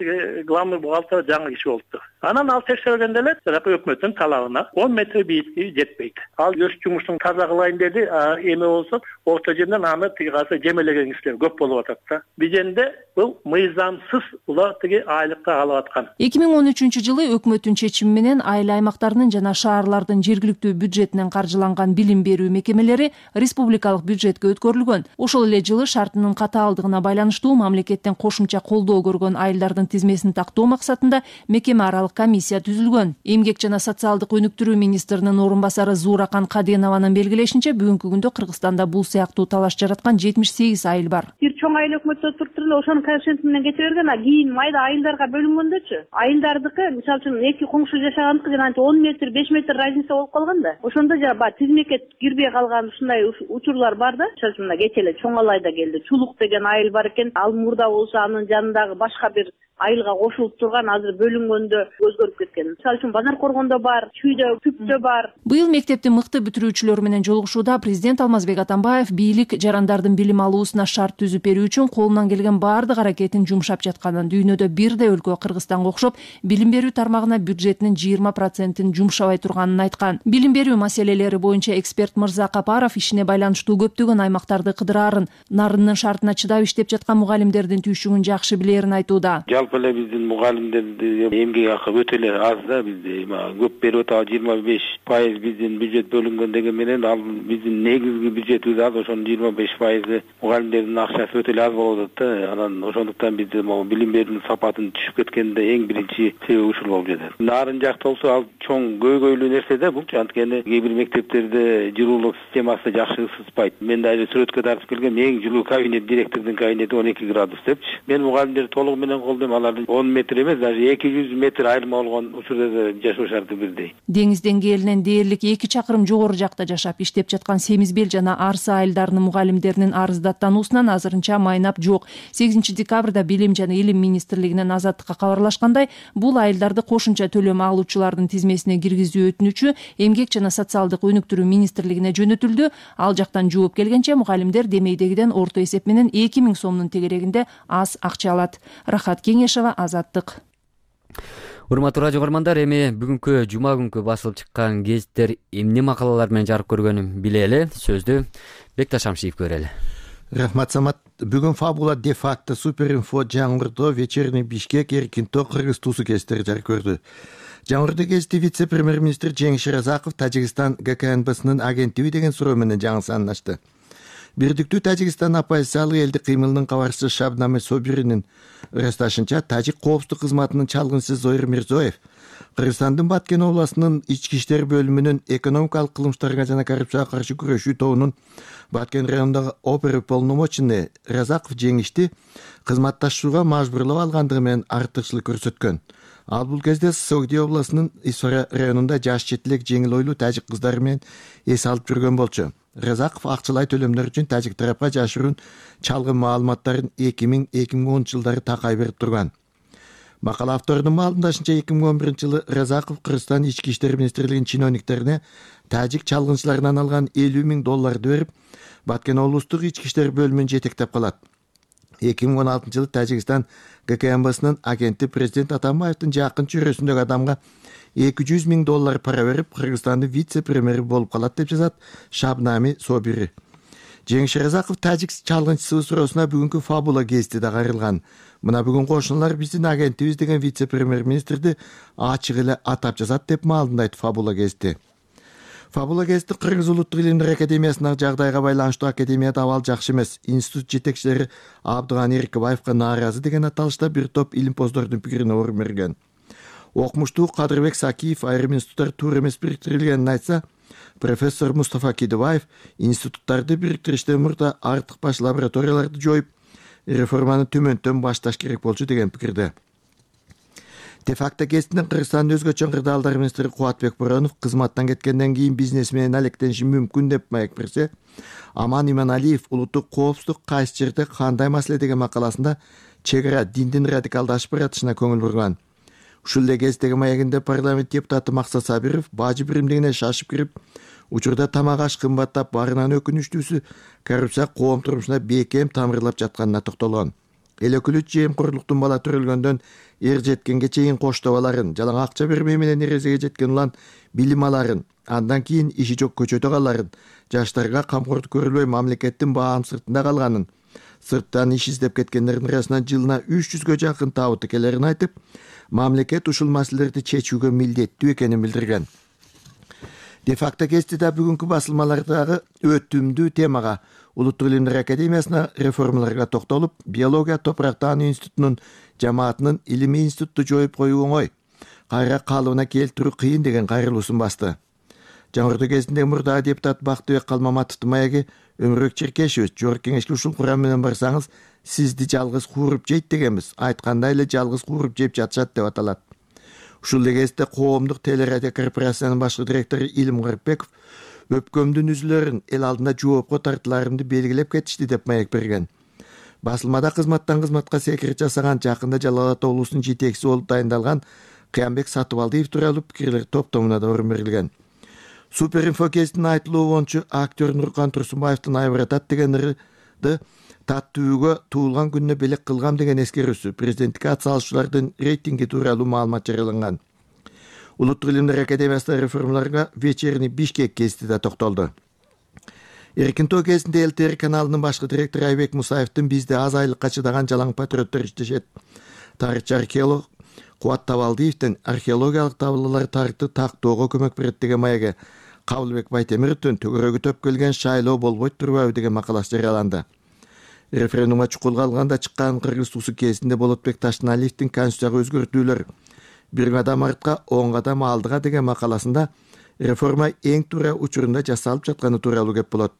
главный бухгалтер жаңы киши болупту. Анан ал текшергенде эле өкмөттүн талабына 10 метр бийиктиги жетпейт. Ал өз жумушун таза кылайын деди, эми болсо орто жерден аны тыйгасы жемелеген кишилер көп болуп атат да. Бул мыйзамсыз улар айлыкка алып аткан. 2013 жылы өкмөттүн чечими менен айыл аймактарынын жана шаарлардын жергиликтүү бюджетинен каржыланган билим берүү мекемелери республикалык бюджетке өткөрүлгөн. Ошол эле жылы шартынын катаалдыгына байланыштуу мамлекеттен кошумча колдоо көргөн айылдардын тизмесин тактоо максатында мекеме аралык комиссия түзүлгөн. Эмгек жана социалдык өнүктүрүү министринин орун басары Зууракан Каденованын белгилешинче бүгүнкү күндө Кыргызстанда бул сыяктуу талаш жараткан 78 айыл бар. Бир чоң айыл өкмөттө ошонун коэффициенти менен кете берген, кийин майда айылдарга бөлүнгөндөчү. Айылдардыкы, мисалы үчүн, эки коңшу жашагандыкы жана 10 метр, 5 метр разница болуп калган да. Ошондо жана тизмекке кирбей калган ушундай учурлар бар да. Мисалы үчүн, кече эле Чоң Алайда келди. Чулук деген айыл бар экен. Ал мурда болсо анын жанындагы башка бир айылга кошулуп турган, азыр бөлүнгөндө өзгөрүп кеткен. Мисалы үчүн Базар Коргондо бар, Чүйдө, Күптө бар. Быйыл мектептин мыкты бүтүрүүчүлөрү менен жолугушууда президент Алмазбек Атамбаев бийлик жарандардын билим алуусуна шарт түзүп берүү үчүн колунан келген баардык аракетин жумшап жатканын, дүйнөдө бирдей өлкө Кыргызстанга окшоп билим берүү тармагына бюджетинин 20%-ин жумшабай турганын айткан. Билим берүү маселелери боюнча эксперт Мырза Капаров ишине байланыштуу көптөгөн аймактарды кыдыраарын, нарынын шартына чыдап иштеп жаткан мугалимдердин түйшүгүн жакшы билерин айтууда. Эле биздин мугалимдердин эмгек акы өтө эле аз да, бизде көп берип атабыз, 25% биздин бюджет бөлүнгөн деген менен ал биздин негизги бюджетибиз аз, ошонун 25% мугалимдердин акчасы өтө эле аз болуп атат да. Анан ошондуктан бизде билим берүүнүн сапатын түшүп кеткенде эң биринчи себеп ушул болуп жатат. Нарын жакта болсо ал чоң көйгөйлүү нерсе да бул, анткени кээ бир мектептерде жылуулук системасы жакшы ысытпайт. Мен дагы сүрөткө тартып келгем, эң жылуу кабинет, директордун кабинети 12 градус депчи. Мен мугалимдерди толугу менен колдойм, алар 10 метр эмес, даже 200 метр айырма болгон учурда да жашоо шарты бирдей. Деңиз деңгээлинен дээрлик 2 чакырым жогору жакта жашап иштеп жаткан Семизбел жана Арсы айылдарынын мугалимдеринин арыздаттануусунан азырынча майнап жок. 8 декабрда Билим жана Илим министрлигинен Азаттыкка кабарлашкандай, бул айылдарды кошумча төлөм алуучулардын тизмесине киргизүү өтүнүчү Эмгек жана социалдык өнүктүрүү министрлигине жөнөтүлдү. Ал жактан жооп келгенче мугалимдер демейдегиден орто эсеп менен 2000 сомдун тегерегинде аз акча алат. Рахат Кеңешова, Азаттык. Урматтуу радио угармандар, эми бүгүнкү жума күнкү басылып чыккан гезиттер эмне макалалар менен жарык көргөнүн билели. Сөздү Бекташ Шамшиев көрөлү. Рахмат Самат. Бүгүн Фабула де факто, Суперинфо, Жаңгырдо, Вечерний Бишкек, Эркинто, Кыргыз Тусу гезиттери жарык көрдү. Жаңгырдо гезити вице-премьер-министр Жеңиш Разаков Тажикстан ГКНБсынын агенттиби деген суроо менен жаңы санын ачты. Бирдиктүү Тажикстан оппозициялык элдик кыймылынын кабарчысы Шабнаме Собиринин ырасташынча, Тажик коопсуздук кызматынын чалгынчысы Зоир Мирзоев Кыргызстандын Баткен областынын ички иштер бөлүмүнүн экономикалык кылмыштарга жана коррупцияга каршы күрөшүү тобунун Баткен районундагы оперуполномоченный Разаков жеңишти кызматташууга мажбурлап алгандыгы менен артыкчылык көрсөткөн. Ал бул кезде Согди областынын Исфара районунда жаш четилек жеңил ойлуу тажик кыздары менен эс алып жүргөн болчу. Разаков акчалай төлөмдөр үчүн тажик тарапка жашыруун чалгын маалыматтарын 2000-2010 жылдары такай берип турган. Макала авторунун маалымдашынча 2011 жылы Разаков Кыргызстан ички иштер министрлигинин чиновниктерине тажик чалгынчыларынан алган $50,000 берип, Баткен облустук ички иштер бөлүмүн жетектеп калат. 2016 жылы Тажикстан ГКНБсынын агенти президент Атамбаевдин жакын чөйрөсүндөгү адамга $200,000 пара берип, Кыргызстандын вице-премьери болуп калат деп жазат Шабнами Собири. Жеңиш Разаков тажик чалгынчысы суроосуна бүгүнкү Фабула гезити да кайрылган. Мына бүгүн кошуналар биздин агентибиз деген вице-премьер-министрди ачык эле атап жазат деп маалымдайт Фабула гезити. Фабула гезити Кыргыз улуттук илимдер академиясынын жагдайга байланыштуу академияда абал жакшы эмес. Институт жетекчилери Абдыган Эркибаевка нааразы деген аталышта бир топ илимпоздордун пикирине орун берген. Окумуштуу Кадырбек Сакиев айрым институттар туура эмес бириктирилгенин айтса, профессор Мустафа Кидибаев институттарды бириктириште мурда артык баш лабораторияларды жоюп, реформаны төмөндөн башташ керек болчу деген пикирде. Де факто гезитинин Кыргызстандын өзгөчө кырдаалдар министри Кубатбек Боронов кызматтан кеткенден кийин бизнес менен алектениши мүмкүн деп маек берсе, Аман Иманалиев улуттук коопсуздук кайсы жерде кандай маселе деген макаласында чек ара диндин радикалдашып баратышына көңүл бурган. Ушул эле кездеги маегинде парламент депутаты Максат Сабиров бажы биримдигине шашып кирип, учурда тамак аш кымбаттап барынан өкүнүчтүүсү коррупция коом турмушуна бекем тамырлап жатканына токтолгон. Эл өкүлү жемкорлуктун бала төрөлгөндөн эр жеткенге чейин коштобаларын, жалаң акча бермей менен эрезеге жеткен улан билим аларын, андан кийин иши жок көчөдө каларын, жаштарга камкордук көрүлбөй мамлекеттин баам сыртында калганын, сырттан иш издеп кеткендердин арасынан жылына 300гө жакын табыты келерин айтып, мамлекет ушул маселелерди чечүүгө милдеттүү экенин билдирген. Де факто гезитиде бүгүнкү басылмалардагы өтүмдүү темага Улуттук илимдер академиясына реформаларга токтолуп, биология топурак таануу институтунун жамаатынын илимий институтту жоюп коюу оңой, кайра калыбына келтирүү кыйын деген кайрылуусун басты. Жаңгырдоо гезитинде мурдагы депутат Бактыбек Калмаматовдун маеги Өмүрбек Черкешевич жогорку кеңешке ушул курам менен барсаңыз, сизди жалгыз кууруп жейт дегенбиз. Айткандай эле жалгыз кууруп жеп жатышат деп аталат. Ушул эле кезде коомдук телерадио корпорациясынын башкы директору Илим Карпеков өпкөмдүн үзүлөрүн эл алдында жоопко тартыларымды белгилеп кетишти деп маек берген. Басылмада кызматтан кызматка секирет жасаган жакында Жалал Ата облусунун жетекчиси болуп дайындалган Кыямбек Сатыбалдиев тууралуу пикирлер топтомуна да орун берилген. Суперинфо гезитинин айтылуу боюнча актер Нуркан Турсунбаевдин айбыратат деген ырды таттүүгө туулган күнүнө белек кылгам деген эскерүүсү президенттикке ат салышчулардын рейтинги тууралуу маалымат жарыяланган. Улуттук илимдер академиясынын реформаларга Вечерний Бишкек гезити да токтолду. Эркинто гезитинде ЛТР каналынын башкы директору Айбек Мусаевдин бизде аз айлыкка чыдаган жалаң патриоттор иштешет. Тарыхчы археолог Кубат Табалдиевдин археологиялык табылуулар тарыхты тактоого көмөк берет деген маеги Кабылбек Байтемировдун төгөрөгү төп келген шайлоо болбойт турбайбы деген макаласы жарыяланды. Референдумга чукулга алганда чыккан Кыргыз Тусу гезитинде Болотбек Таштаналиевдин конституцияга өзгөртүүлөр бир кадам артка 10 кадам алдыга деген макаласында реформа эң туура учурунда жасалып жатканы тууралуу кеп болот.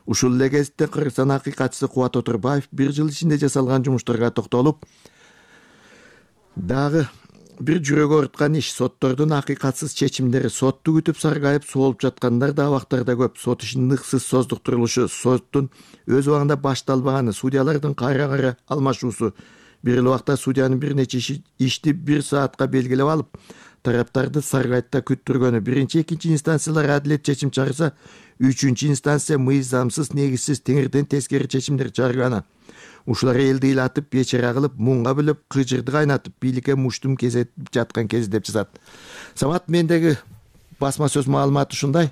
Ушул эле кезде Кыргызстан акыйкатчысы Кубат Отурбаев бир жыл ичинде жасалган жумуштарга токтолуп, дагы бир жүрөгү ооруткан иш соттордун акыйкатсыз чечимдери, сотту күтүп саргайып соолуп жаткандар да абактарда көп, сот ишинин ыксыз создуктурулушу, соттун өз убагында башталбаганы, судьялардын кайра алмашуусу, бир эле убакта судьянын бир нече ишти 1 саатка белгилеп алып, тараптарды Саргайтта күттүргөнү. Биринчи, экинчи инстанциялар адилет чечим чыгарса, үчүнчү инстанция мыйзамсыз, негизсиз, теңирден тескери чечимдер чыгарганы. Ушулар элди ыйлатып, бечара кылып, муңга билип, кыжырды кайнатып, бийликке муштум кезетип жаткан кез деп жазат. Самат, мендеги басма сөз маалыматы ушундай.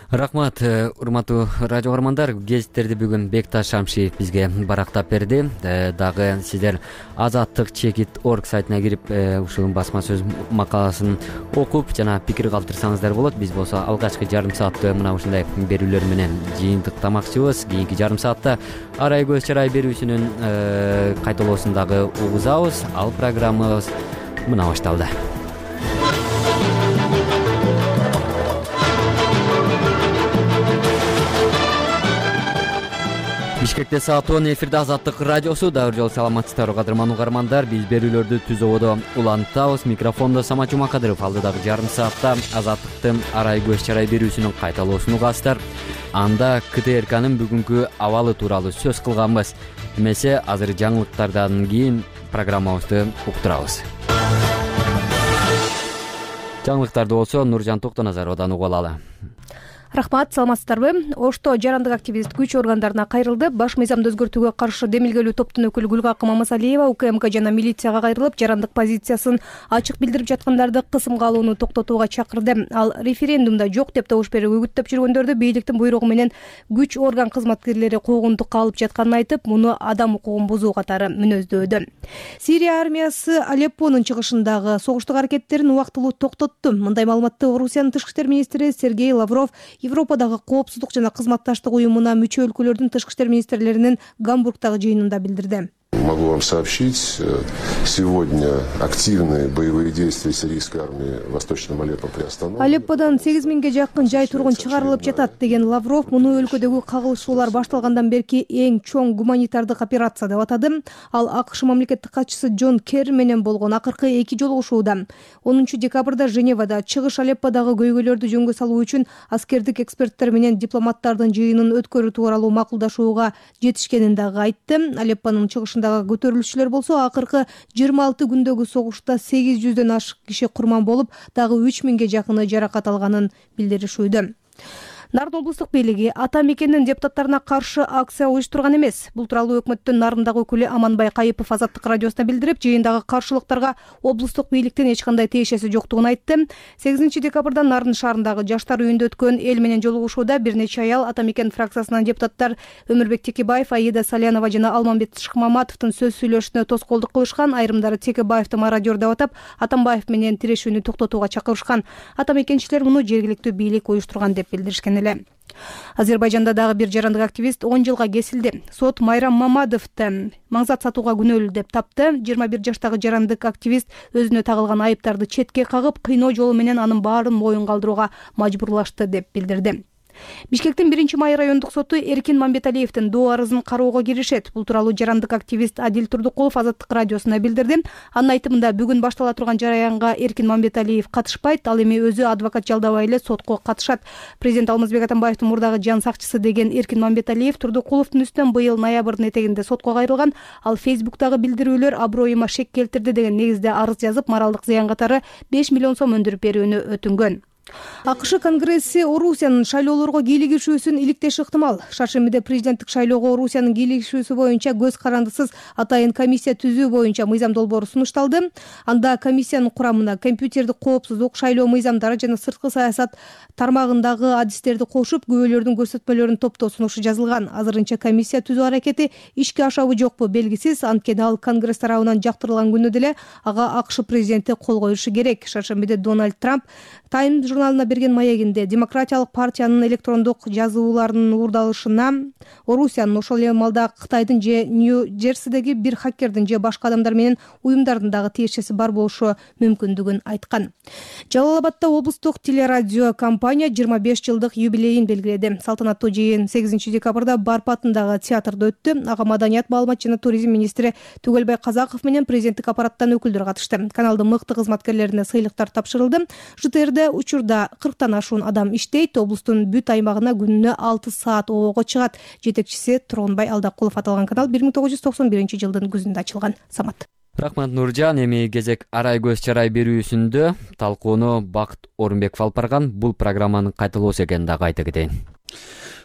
Рахмат, урматтуу радио көрөрмандар. Гезиттерди бүгүн Бекташ Шамшиев бизге барактап берди. Дагы сиздер azattik.org сайтына кирип, ушул басма сөз макаласын окуп жана пикир калтырсаңыздар болот. Биз болсо алгачкы жарым саатты мына ушундай берүүлөр менен жыйынтыктамакчыбыз. Кийинки жарым саатта арай көз чарай берүүсүнүн кайталоосун дагы угузабыз. Ал программабыз мына башталды. Бишкекте саат 10 эфирде Азаттык радиосу. Дагы жолу саламатсыздарбы кадырман угармандар. Биз берүүлөрдү түз ободо улантабыз. Микрофондо Самат Жумакадыров. Алдыдагы жарым саатта Азаттыктын арай көз чарай берүүсүнүн кайталоосун угасыздар. Анда КТРКнын бүгүнкү абалы тууралуу сөз кылганбыз. Эмесе азыр жаңылыктардан кийин программабызды уктурабыз. Жаңылыктарды болсо Нуржан Токтоназаровдон угуп алалы. Рахмат, саламатсыздарбы? Ошто жарандык активист күч органдарына кайрылды. Баш мыйзамды өзгөртүүгө каршы демилгелүү топтун өкүлү Гүлгакы Мамасалиева УКМК жана милицияга кайрылып, жарандык позициясын ачык билдирип жаткандарды кысымга алууну токтотууга чакырды. Ал референдумда жок деп добуш берип үгүттөп жүргөндөрдү бийликтин буйругу менен күч орган кызматкерлери куугунтукка алып жатканын айтып, муну адам укугун бузуу катары мүнөздөөдү. Сирия армиясы Алеппонун чыгышындагы согуштук аракеттерин убактылуу токтотту. Мындай маалыматты Орусиянын тышкы иштер министри Сергей Лавров Европадагы коопсуздук жана кызматташтык уюмуна мүчө өлкөлөрдүн тышкы иштер министрлеринин Гамбургдагы жыйынында билдирди. Могу вам сообщить, сегодня активные боевые действия сирийской армии в Восточном Алеппо приостановлены. Алепподан 8000ге жакын жай тургун чыгарылып жатат деген Лавров муну өлкөдөгү кагылышуулар башталгандан берки эң чоң гуманитардык операция деп атады. Ал АКШ мамлекеттик катчысы Джон Керри менен болгон акыркы 2 жолугушууда 10 декабрда Женевада чыгыш Алепподагы көйгөйлөрдү жөнгө салуу үчүн аскердик эксперттер менен дипломаттардын жыйынын өткөрүү тууралуу макулдашууга жетишкенин дагы айтты. Алеппонун чыгышындагы көтөрүлүшчүлөр болсо акыркы 26 күндөгү согушта 800дөн ашык киши курман болуп, дагы 3000ге жакыны жаракат алганын билдиришүүдө. Нарын облустук бийлиги ата мекендин депутаттарына каршы акция уюштурган эмес. Бул тууралуу өкмөттүн Нарындагы өкүлү Аманбай Кайыпов Азаттык радиосуна билдирип, жыйындагы каршылыктарга облустук бийликтин эч кандай тиешеси жоктугун айтты. 8 декабрда Нарын шаарындагы жаштар үйүндө өткөн эл менен жолугушууда бир нече аял ата мекен фракциясынан депутаттар Өмүрбек Текебаев, Аида Салянова жана Алмамбет Шыкмаматовдун сөз сүйлөшүнө тоскоолдук кылышкан. Айрымдары Текебаевди мародер деп атап, Атамбаев менен тирешүүнү токтотууга чакырышкан. Ата мекенчилер муну жергиликтүү бийлик уюштурган деп билдиришкен. Азербайжанда дагы бир жарандык активист 10 жылга кесилди. Сот Майрам Мамадовду маңзат сатууга күнөөлүү деп тапты. 21 жаштагы жарандык активист өзүнө тагылган айыптарды четке кагып, кыйноо жолу менен анын баарын моюнга алдырууга мажбурлашты деп билдирди. Бишкектин 1-Май райондук соту Эркин Мамбеталиевдин доо арызын кароого киришет. Бул тууралуу жарандык активист Адил Турдукулов Азаттык радиосуна билдирди. Анын айтымында бүгүн баштала турган жараянга Эркин Мамбеталиев катышпайт, ал эми өзү адвокат жалдабай эле сотко катышат. Президент Алмазбек Атамбаевдин мурдагы жан сакчысы деген Эркин Мамбеталиев Турдукуловдун үстүнөн быйыл ноябрдын этегинде сотко кайрылган. Ал Фейсбуктагы билдирүүлөр аброюма шек келтирди деген негизде арыз жазып, моралдык зыян катары 5 миллион сом өндүрүп берүүнү өтүнгөн. АКШ Конгресси Орусиянын шайлоолорго кийлигишүүсүн иликтеши ыктымал. Шаршембиде президенттик шайлоого Орусиянын кийлигишүүсү боюнча көз карандысыз атайын комиссия түзүү боюнча мыйзам долбоору сунушталды. Анда комиссиянын курамына компьютердик коопсуздук, шайлоо мыйзамдары жана сырткы саясат тармагындагы адистерди кошуп, күбөлөрдүн көрсөтмөлөрүн топтоо сунушу жазылган. Азырынча комиссия түзүү аракети ишке ашабы жокпу белгисиз. Анткени ал Конгресс тарабынан жактырылган күнү деле ага АКШ президенти кол коюшу керек. Шаршембиде Дональд Трамп Time журналына берген маегинде демократиялык партиянын электрондук жазууларынын уурдалышына Орусиянын ошол эле маалда Кытайдын же Нью-Джерсидеги бир хакердин же башка адамдар менен уюмдардын дагы тиешеси бар болушу мүмкүндүгүн айткан. Жалал Абадда облустук телерадио компания 25 жылдык юбилейин белгиледи. Салтанаттуу жыйын 8 декабрда Барп атындагы театрда өттү. Ага маданият, маалымат жана туризм министри Түгөлбай Казаков менен президенттик аппараттан өкүлдөр катышты. Каналдын мыкты кызматкерлерине сыйлыктар тапшырылды. ЖТРде учурда 40тан ашуун адам иштейт. Облустун бүт аймагына күнүнө 6 саат оого чыгат. Жетекчиси Туронбай Алдакулов. Аталган канал 1991 жылдын күзүндө ачылган. Самат. рахмат Нуржан. Эми кезек арай көз чарай берүүсүндө талкууну Бакыт Орунбеков алып барган. Бул программанын кайталоосу экенин дагы айта кетейин.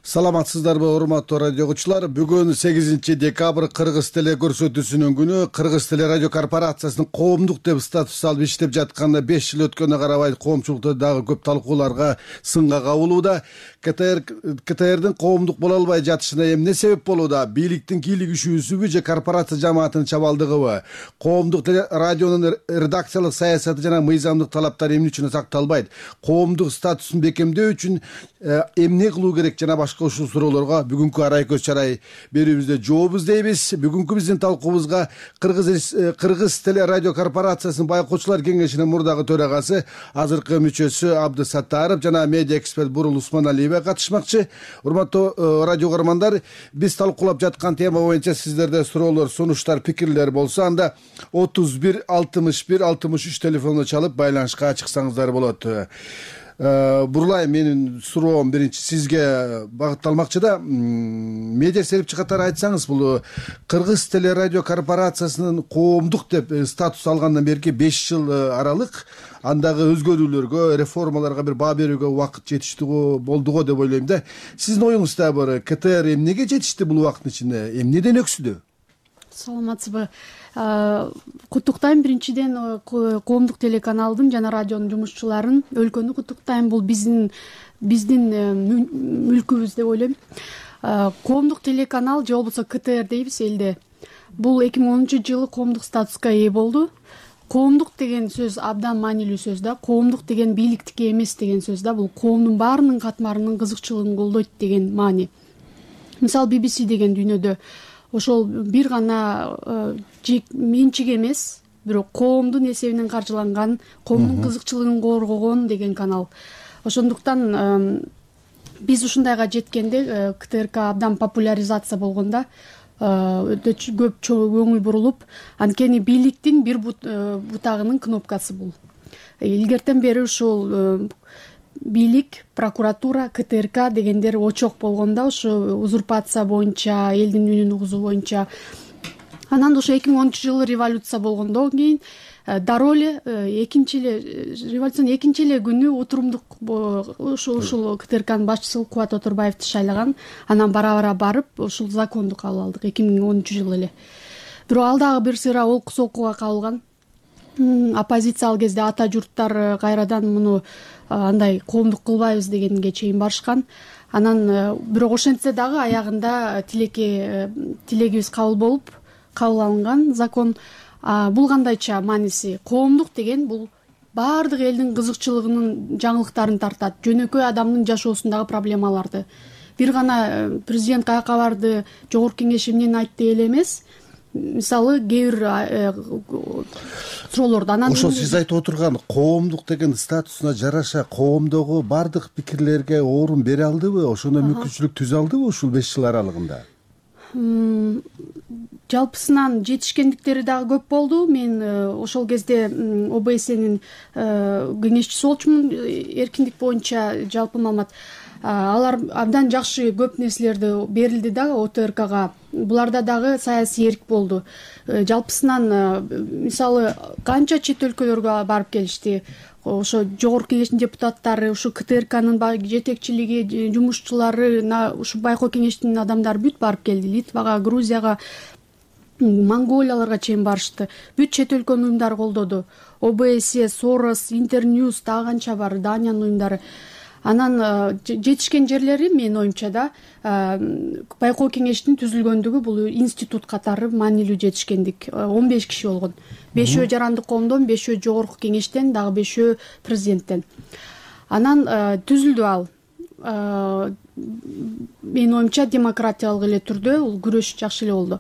Саламатсыздарбы урматтуу радио угуучулар. Бүгүн 8 декабрь Кыргыз теле көрсөтүүсүнүн күнү. Кыргыз теле радио корпорациясынын коомдук деп статус алып иштеп жатканына 5 жыл өткөнүнө карабай коомчулукта дагы көп талкууларга сынга кабылууда. КТРдин коомдук боло албай жатышына эмне себеп болууда? Бийликтин кийлигишүүсүбү же корпорация жамаатынын чабалдыгыбы? Коомдук радионун редакциялык саясаты жана мыйзамдык талаптары эмне үчүн сакталбайт? Коомдук статусун бекемдөө үчүн эмне кылуу керек жана башка ушул суроолорго бүгүнкү арай көз чарай берүүбүздө жооп издейбиз. Бүгүнкү биздин талкуубузга Кыргыз теле радио корпорациясынын байкоочулар кеңешинин мурдагы төрагасы, азыркы мүчөсү Абдысаттаров жана медиа эксперт Бурул Усманалиева катышмакчы. Урматтуу радио угармандар, биз талкуулап жаткан тема боюнча сиздерде суроолор, сунуштар, пикирлер болсо, анда 31 61 63 телефонуна чалып байланышка чыксаңыздар болот. Бурлай, менин суроом биринчи сизге багытталмакчы да. Медиа серепчи катары айтсаңыз, бул Кыргыз теле радио корпорациясынын коомдук деп статус алгандан берки 5 жыл аралык, андагы өзгөрүүлөргө, реформаларга бир баа берүүгө убакыт жетиштүү болдуго деп ойлойм да. Сиздин оюңузда бар КТР эмнеге жетишти бул убакыттын ичинде? Эмнеден өксүдү? Саламатсызбы. Куттуктайм биринчиден коомдук телеканалдын жана радионун жумушчуларын, өлкөнү куттуктайм. Бул биздин мүлкүбүз деп ойлойм. Коомдук телеканал же болбосо КТР дейбиз элде. Бул 2010-жылы коомдук статуска ээ болду. Коомдук деген сөз абдан маанилүү сөз да. Коомдук деген бийликтики эмес деген сөз да. Бул коомдун баарынын катмарынын кызыкчылыгын колдойт деген маани. Мисалы BBC деген дүйнөдө ошол бир гана менчик эмес, бирок коомдун эсебинен каржыланган, коомдун кызыкчылыгын коргогон деген канал. Ошондуктан биз ушундайга жеткенде, КТРК абдан популяризация болгондо өтө көп көңүл бурулуп, анткени бийликтин бир бутагынын кнопкасы бул. Илгертен бери ушул бийлик, прокуратура, КТРК дегендер очок болгондо, ушу узурпация боюнча, элдин үнүн угузуу боюнча. Анан ошо 2010-жылы революция болгондон кийин дароо эле революциянын экинчи эле күнү отурумдук ушул КТРКнын башчысы Кубат Отурбаевди шайлаган. Анан бара-бара барып ушул законду кабыл алдык 2010-жылы эле. Бирок ал дагы бир сыйра олку солкуга кабылган. Оппозиция ал кезде ата журттар кайрадан муну андай коомдук кылбайбыз дегенге чейин барышкан. Анан бирок ошентсе дагы аягында тилегибиз кабыл алынган закон. Бул кандайча мааниси? Коомдук деген бул баардык элдин кызыкчылыгынын жаңылыктарын тартат. Жөнөкөй адамдын жашоосундагы проблемаларды. Бир гана президент каяка барды, жогорку кеңеш эмнени айтты эле эмес. Мисалы кээ бир суроолорду анан ошол сиз айтып отурган коомдук деген статусуна жараша коомдогу бардык пикирлерге орун бере алдыбы? Ошондой мүмкүнчүлүк түзө алдыбы ушул 5 жыл аралыгында? Жалпысынан жетишкендиктери дагы көп болду. Мен ошол кезде ОБСнин кеңешчиси болчумун, эркиндик боюнча жалпы маалымат. Алар абдан жакшы көп нерселерди берилди дагы ОТРКга. Буларда дагы саясий эрк болду. Жалпысынан мисалы канча чет өлкөлөргө барып келишти. Ошо жогорку кеңештин депутаттары, ушу КТРКнын жетекчилиги, жумушчулары, ушу байкоо кеңештин адамдары бүт барып келди. Литвага, Грузияга, Монголияларга чейин барышты. Бүт чет өлкөнүн уюмдары колдоду. ОБСЕ, Сорос, Интерньюз, дагы канча бар, Даниянын уюмдары. Анан жетишкен жерлери менин оюмча да байкоо кеңештин түзүлгөндүгү бул институт катары маанилүү жетишкендик. 15 киши болгон. 5-өө жарандык коомдон, 5-өө жогорку кеңештен, дагы 5-өө президенттен. Анан түзүлдү ал. Менин оюмча демократиялык эле түрдө бул күрөш жакшы эле болду.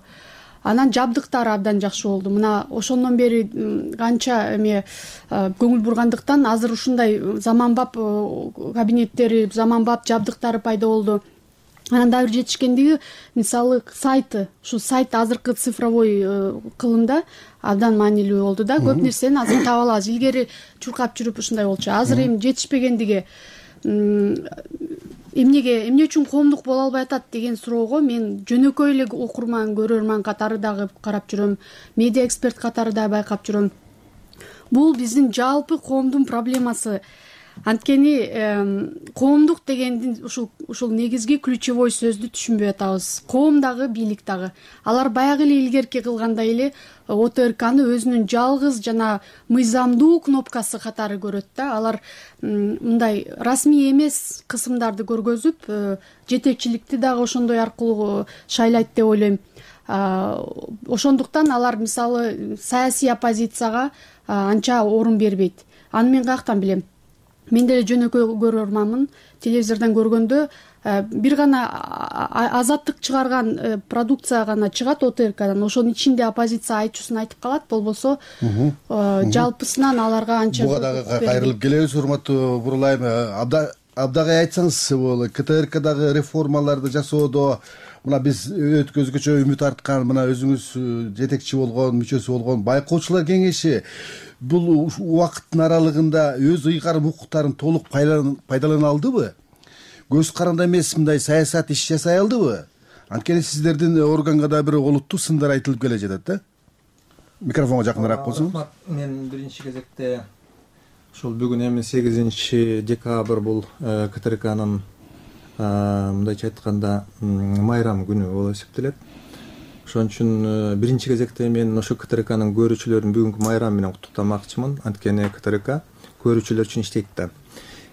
Анан жабдыктары абдан жакшы болду. Мына ошондон бери канча көңүл бургандыктан азыр ушундай заманбап кабинеттери, заманбап жабдыктары пайда болду. Анан дагы бир жетишкендиги, мисалы сайты, ушу сайт азыркы цифровой кылымда абдан маанилүү болду да. Көп нерсени азыр таба алабыз. Илгери чуркап жүрүп ушундай болчу. Азыр эми жетишпегендиги эмне үчүн коомдук боло албай атат деген суроого мен жөнөкөй эле окурман, көрөрман катары дагы карап жүрөм, медиа эксперт катары дагы байкап жүрөм. Бул биздин жалпы коомдун проблемасы. Анткени коомдук дегендин ушул негизги ключевой сөздү түшүнбөй атабыз. Коом дагы, бийлик дагы. Алар баягы эле илгерки кылгандай эле ОТРКны өзүнүн жалгыз жана мыйзамдуу кнопкасы катары көрөт да. Алар мындай расмий эмес кысымдарды көргөзүп, жетекчиликти дагы ошондой аркылуу шайлайт деп ойлойм. Ошондуктан алар мисалы саясий оппозицияга анча орун бербейт. Аны мен каяктан билем? Мен деле жөнөкөй көрөрманмын. Телевизордон көргөндө бир гана Азаттык чыгарган продукция гана чыгат ОТРКдан. Ошонун ичинде оппозиция айтчусын айтып калат, болбосо жалпысынан аларга анча. Буга дагы кайрылып келебиз, урматтуу Бурулайым. Абдагай айтсаңыз, бул КТРКдагы реформаларды жасоодо мына биз өткөзгүчө үмүт арткан, мына өзүңүз жетекчи болгон, мүчөсү болгон байкоочулар кеңеши бул убакыттын аралыгында өз ыйгарым укуктарын толук пайдалана алдыбы? Көз каранды эмес мындай саясат иш жасай алдыбы? Анткени сиздердин органга да бир олуттуу сындар айтылып келе жатат да. Микрофонго жакыныраак болсоңуз. Мен биринчи кезекте ушул бүгүн эми 8 декабрь бул КТРКнын мындайча айтканда майрам күнү болуп эсептелет. Ошон үчүн биринчи кезекте мен ошо КТРКнын көрүүчүлөрүн бүгүнкү майрам менен куттуктамакчымын. Анткени КТРК көрүүчүлөр үчүн иштейт да.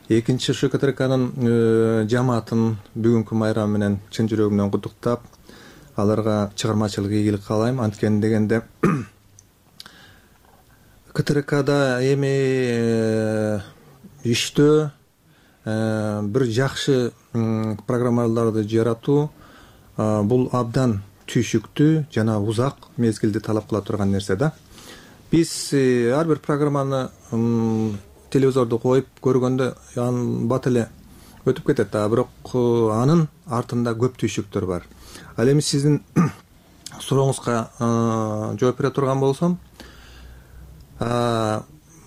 Экинчи, ошо КТРКнын жамаатын бүгүнкү майрам менен чын жүрөгүмөн куттуктап, аларга чыгармачылык ийгилик каалайм. Анткени дегенде КТРКда эми иштөө, бир жакшы программаларды жаратуу бул абдан түйшүктүү жана узак мезгилди талап кыла турган нерсе да. Биз ар бир программаны телевизорду коюп көргөндө анын бат эле өтүп кетет да, бирок анын артында көп түйшүктөр бар. Ал эми сиздин сурооңузга жооп бере турган болсом,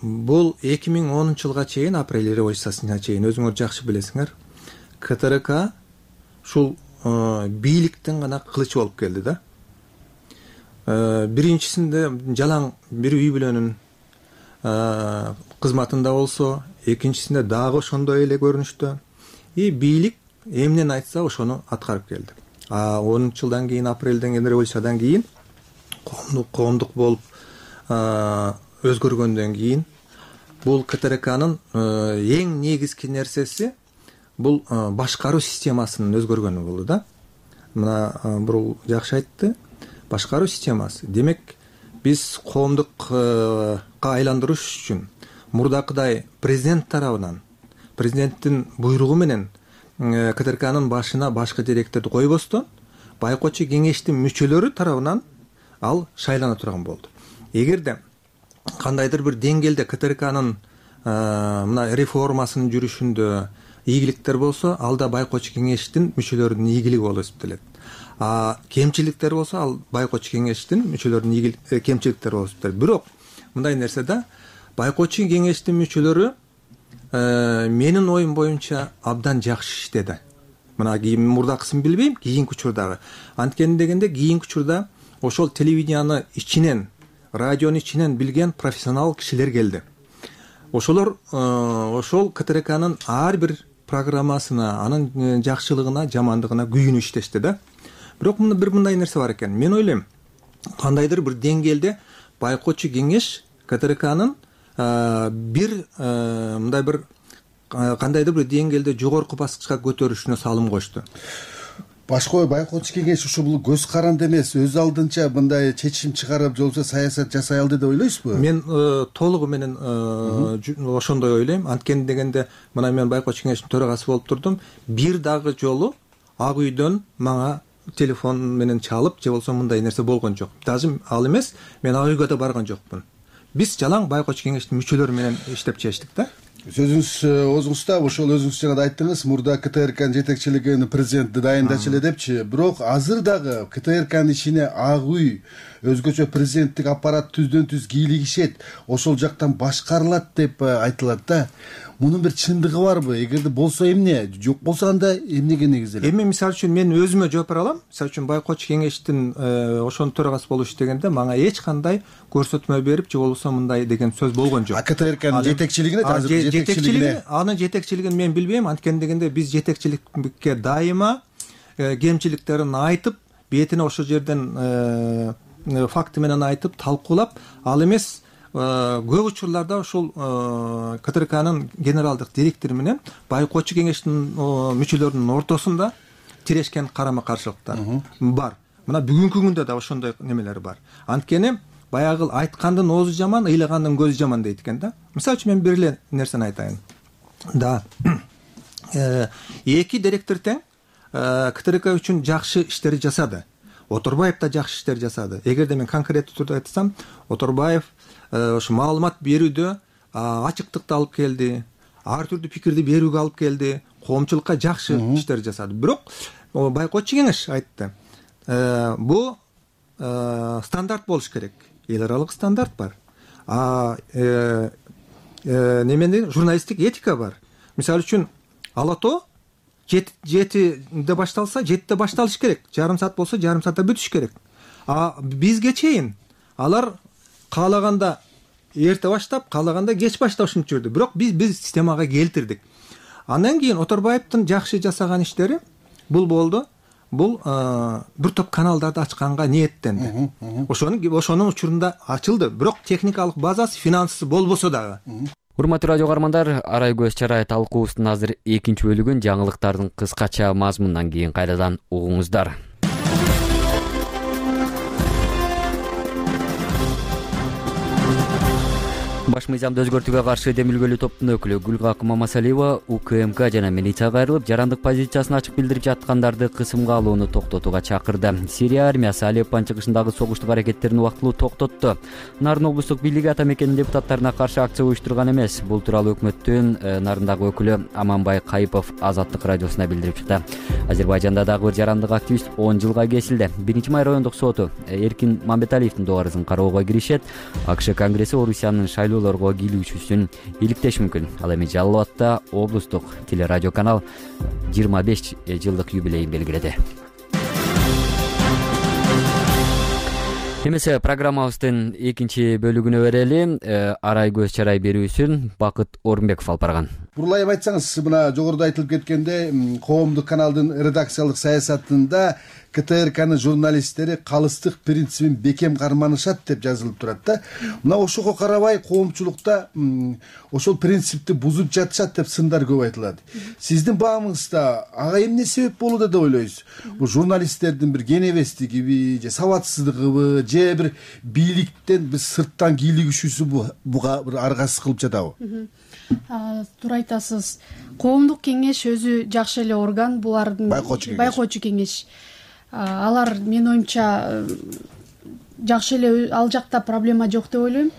бул 2010 жылга чейин, апрель революциясына чейин өзүңөр жакшы билесиңер, КТРК ушул бийликтин гана кылычы болуп келди да. Биринчисинде жалаң бир үй бүлөнүн кызматында болсо, экинчисинде дагы ошондой эле көрүнүштө. Бийлик эмнени айтса ошону аткарып келди. 10 жылдан кийин, апрелден кийин, революциядан кийин коомдук болуп өзгөргөндөн кийин бул КТРКнын эң негизги нерсеси бул башкаруу системасынын өзгөргөнү болду да. Мына бул жакшы айтты, башкаруу системасы. Демек, биз коомдукка айландырыш үчүн мурдакыдай президент тарабынан, президенттин буйругу менен КТРКнын башына башкы директорду койбостон, байкоочу кеңештин мүчөлөрү тарабынан ал шайлана турган болду. Эгерде кандайдыр бир деңгээлде КТРКнын мына реформасынын жүрүшүндө ийгиликтер болсо, ал да байкоочу кеңештин мүчөлөрүнүн ийгилиги болуп эсептелет. Кемчиликтер болсо, ал байкоочу кеңештин мүчөлөрүнүн кемчиликтери болуп эсептелет. Бирок мындай нерсе да, байкоочу кеңештин мүчөлөрү менин оюм боюнча абдан жакшы иштеди. Мына мурдакысын билбейм, кийинки учурдагы. Анткени дегенде кийинки учурда ошол телевиденияны ичинен, радионун ичинен билген профессионал кишилер келди. Ошолор ошол КТРКнын ар бир программасына, анын жакшылыгына, жамандыгына күйүнүп иштешти да. Бирок бир мындай нерсе бар экен. Мен ойлойм, кандайдыр бир деңгээлде байкоочу кеңеш КТРКнын мындай бир кандайдыр бир деңгээлде жогорку баскычка көтөрүшүнө салым кошту. Башкы байкоочу кеңеш ушу бул көз каранды эмес, өз алдынча мындай чечим чыгарып, же болбосо саясат жасай алды деп ойлойсузбу? Мен толугу менен ошондой ойлойм. Анткени дегенде, мына мен байкоочу кеңештин төрагасы болуп турдум. Бир дагы жолу Ак үйдөн мага телефон менен чалып, же болбосо мындай нерсе болгон жок. Даже ал эмес, мен Ак үйгө да барган жокмун. Биз жалаң байкоочу кеңештин мүчөлөрү менен иштеп чечтик да. Сөзүңүз оозуңузда ошол өзүңүз жана да айттыңыз, мурда КТРКнын жетекчилигин президент дайындачу эле депчи. Бирок азыр дагы КТРКнын ичине Ак үй өзгөчө президенттик аппарат түздөн түз кийлигишет, ошол жактан башкарылат деп айтылат да. Мунун бир чындыгы барбы? Эгерде болсо эмне, жок болсо анда эмнеге негизделет? Эми мисалы үчүн мен өзүмө жооп бере алам. Мисалы үчүн Байкоочу кеңештин ошонун төрагасы болуш дегенде мага эч кандай көрсөтмө берип, же болбосо мындай деген сөз болгон жок. КТРКнын жетекчилигине, анын жетекчилигин мен билбейм. Анткени дегенде биз жетекчиликке дайыма кемчиликтерин айтып, бетине ошол жерден факты менен айтып, талкуулап, ал эмес көп учурларда ушул КТРКнын генералдык директору менен Байкоочу кеңештин мүчөлөрүнүн ортосунда тирешкен карама-каршылыктар бар. Мына бүгүнкү күндө да ошондой немелер бар. Анткени баягы айткандын оозу жаман, ыйлагандын көзү жаман дейт экен да. Мисалы үчүн мен бир эле нерсени айтайын. Да. Эки директор тең КТРК үчүн жакшы иштер жасады. Оторбаев да жакшы иштер жасады. Эгерде мен конкреттүү түрдө айтсам, Оторбаев ошо маалымат берүүдө ачыктыкты алып келди, ар түрдүү пикирди берүүгө алып келди, коомчулукка жакшы иштер жасады. Бирок Байкоочу кеңеш айтты, бул стандарт болуш керек, эл аралык стандарт бар. Немени журналисттик этика бар. Мисалы үчүн Ала тоо 7-де башталса 7-де башталыш керек, жарым саат болсо жарым саатта бүтүш керек. Бизге чейин алар каалаганда эрте баштап, каалаганда кеч башташын жүрдү. Бирок биз системага келтирдик. Андан кийин Оторбаевдин жакшы жасаган иштери бул болду. Бул бир топ каналдарды ачканга ниеттенди. Ошонун учурунда ачылды. Бирок техникалык базасы, финансысы болбосо дагы. Урматтуу радио каармандар, Арай көз чарай талкуубуздун азыр экинчи бөлүгүн жаңылыктардын кыскача мазмунунан кийин кайрадан угуңуздар. Баш мыйзамды өзгөртүүгө каршы демилгөлүү топтун өкүлү Гүлгакы Мамасалиева УКМК жана милицияга кайрылып, жарандык позициясын ачык билдирип жаткандарды кысымга алууну токтотууга чакырды. Сирия армиясы Алеппо чыгышындагы согуштук аракеттерин убактылуу токтотту. Нарын облустук бийлиги ата мекенин депутаттарына каршы акция уюштурган эмес. Бул тууралуу өкмөттүн Нарындагы өкүлү Аманбай Кайыпов Азаттык радиосуна билдирип чыкты. Азербайжанда дагы бир жарандык активист 10 жылга кесилди. 1-май райондук соту Эркин Мамбеталиевдин доорусун кароого киришет. АКШ Конгресси Орусиянын шайлоолорго кийлүүчүсүн иликтеш мүмкүн. Ал эми Жалал Абадта облустук телерадиоканал 25 жылдык юбилейин белгиледи. Эмесе программабыздын экинчи бөлүгүнө берели. Арай көз чарай берүүсүн Бакыт Орунбеков алып барган. Бурлайып айтсаңыз, мына жогоруда айтылып кеткенде, коомдук каналдын редакциялык саясатында КТРКнын журналисттери калыстык принцибин бекем карманышат деп жазылып турат да. Мына ошого карабай коомчулукта ошол принципти бузуп жатышат деп сындар көп айтылат. Сиздин баамыңызда ага эмне себеп болууда деп ойлойсуз? Бул журналисттердин бир кенебестигиби, же сабатсыздыгыбы, же бир бийликтен биз сырттан кийлигишүүсү буга бир аргасыз кылып жатабы? Туура айтасыз. Коомдук кеңеш өзү жакшы эле орган, булардын Байкоочу кеңеш. Алар менин оюмча жакшы эле, ал жакта проблема жок деп ойлойм.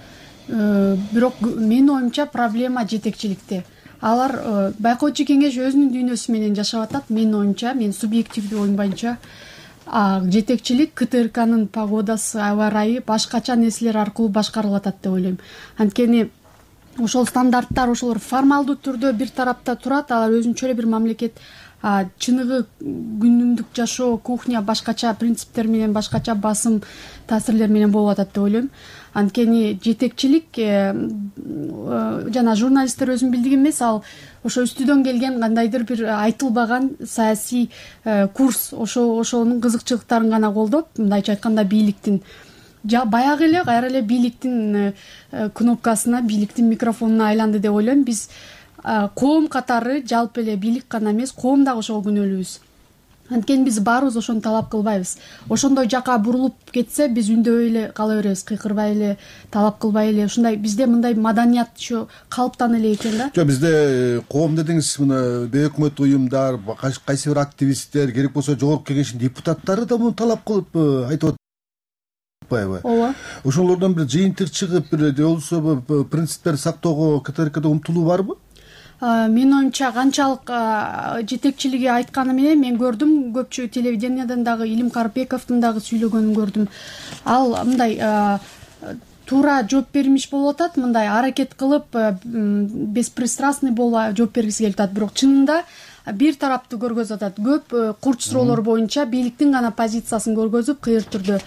Бирок менин оюмча проблема жетекчиликте. Алар Байкоочу кеңеш өзүнүн дүйнөсү менен жашап атат. Менин оюмча, мен субъективдүү оюм боюнча жетекчилик КТРКнын погодасы, аба ырайы башкача нерселер аркылуу башкарылып атат деп ойлойм. Анткени ошол стандарттар, ошолор формалдуу түрдө бир тарапта турат, алар өзүнчө эле бир мамлекет. Чыныгы күнүмдүк жашоо, кухня башкача принциптер менен, башкача басым таасирлер менен болуп атат деп ойлойм. Анткени жетекчилик жана журналисттер өзүнүн билдиги эмес, ал ошо үстүдөн келген кандайдыр бир айтылбаган саясий курс, ошонун кызыкчылыктарын гана колдоп, мындайча айтканда бийликтин баягы эле кайра эле бийликтин кнопкасына, бийликтин микрофонуна айланды деп ойлойм. Биз коом катары жалпы эле бийлик гана эмес, коом дагы ошого күнөөлүүбүз. Анткени биз баарыбыз ошону талап кылбайбыз. Ошондой жака бурулуп кетсе, биз үндөбөй эле кала беребиз, кыйкырбай эле, талап кылбай эле. Ушундай бизде мындай маданият ошо калыптан эле экен да. Жок, бизде коом дедиңиз, мына бейөкмөт уюмдар, кайсы бир активисттер, керек болсо жогорку кеңештин депутаттары да муну талап кылып айтып атпайбы? Ооба. Ошолордон бир жыйынтык чыгып, бир же болбосо принциптерди сактоого КТРКда умтулуу барбы? Менин оюмча канчалык жетекчилиги айтканы менен мен көрдүм, көпчү телевидениядан дагы Илим Карпековдун дагы сүйлөгөнүн көрдүм. Ал мындай туура жооп бермиш болуп атат, мындай аракет кылып беспристрастный болуп жооп бергиси келип атат, бирок чынында бир тараптуу көргөзүп атат. Көп курч суроолор боюнча бийликтин гана позициясын көргөзүп, кыйыр түрдө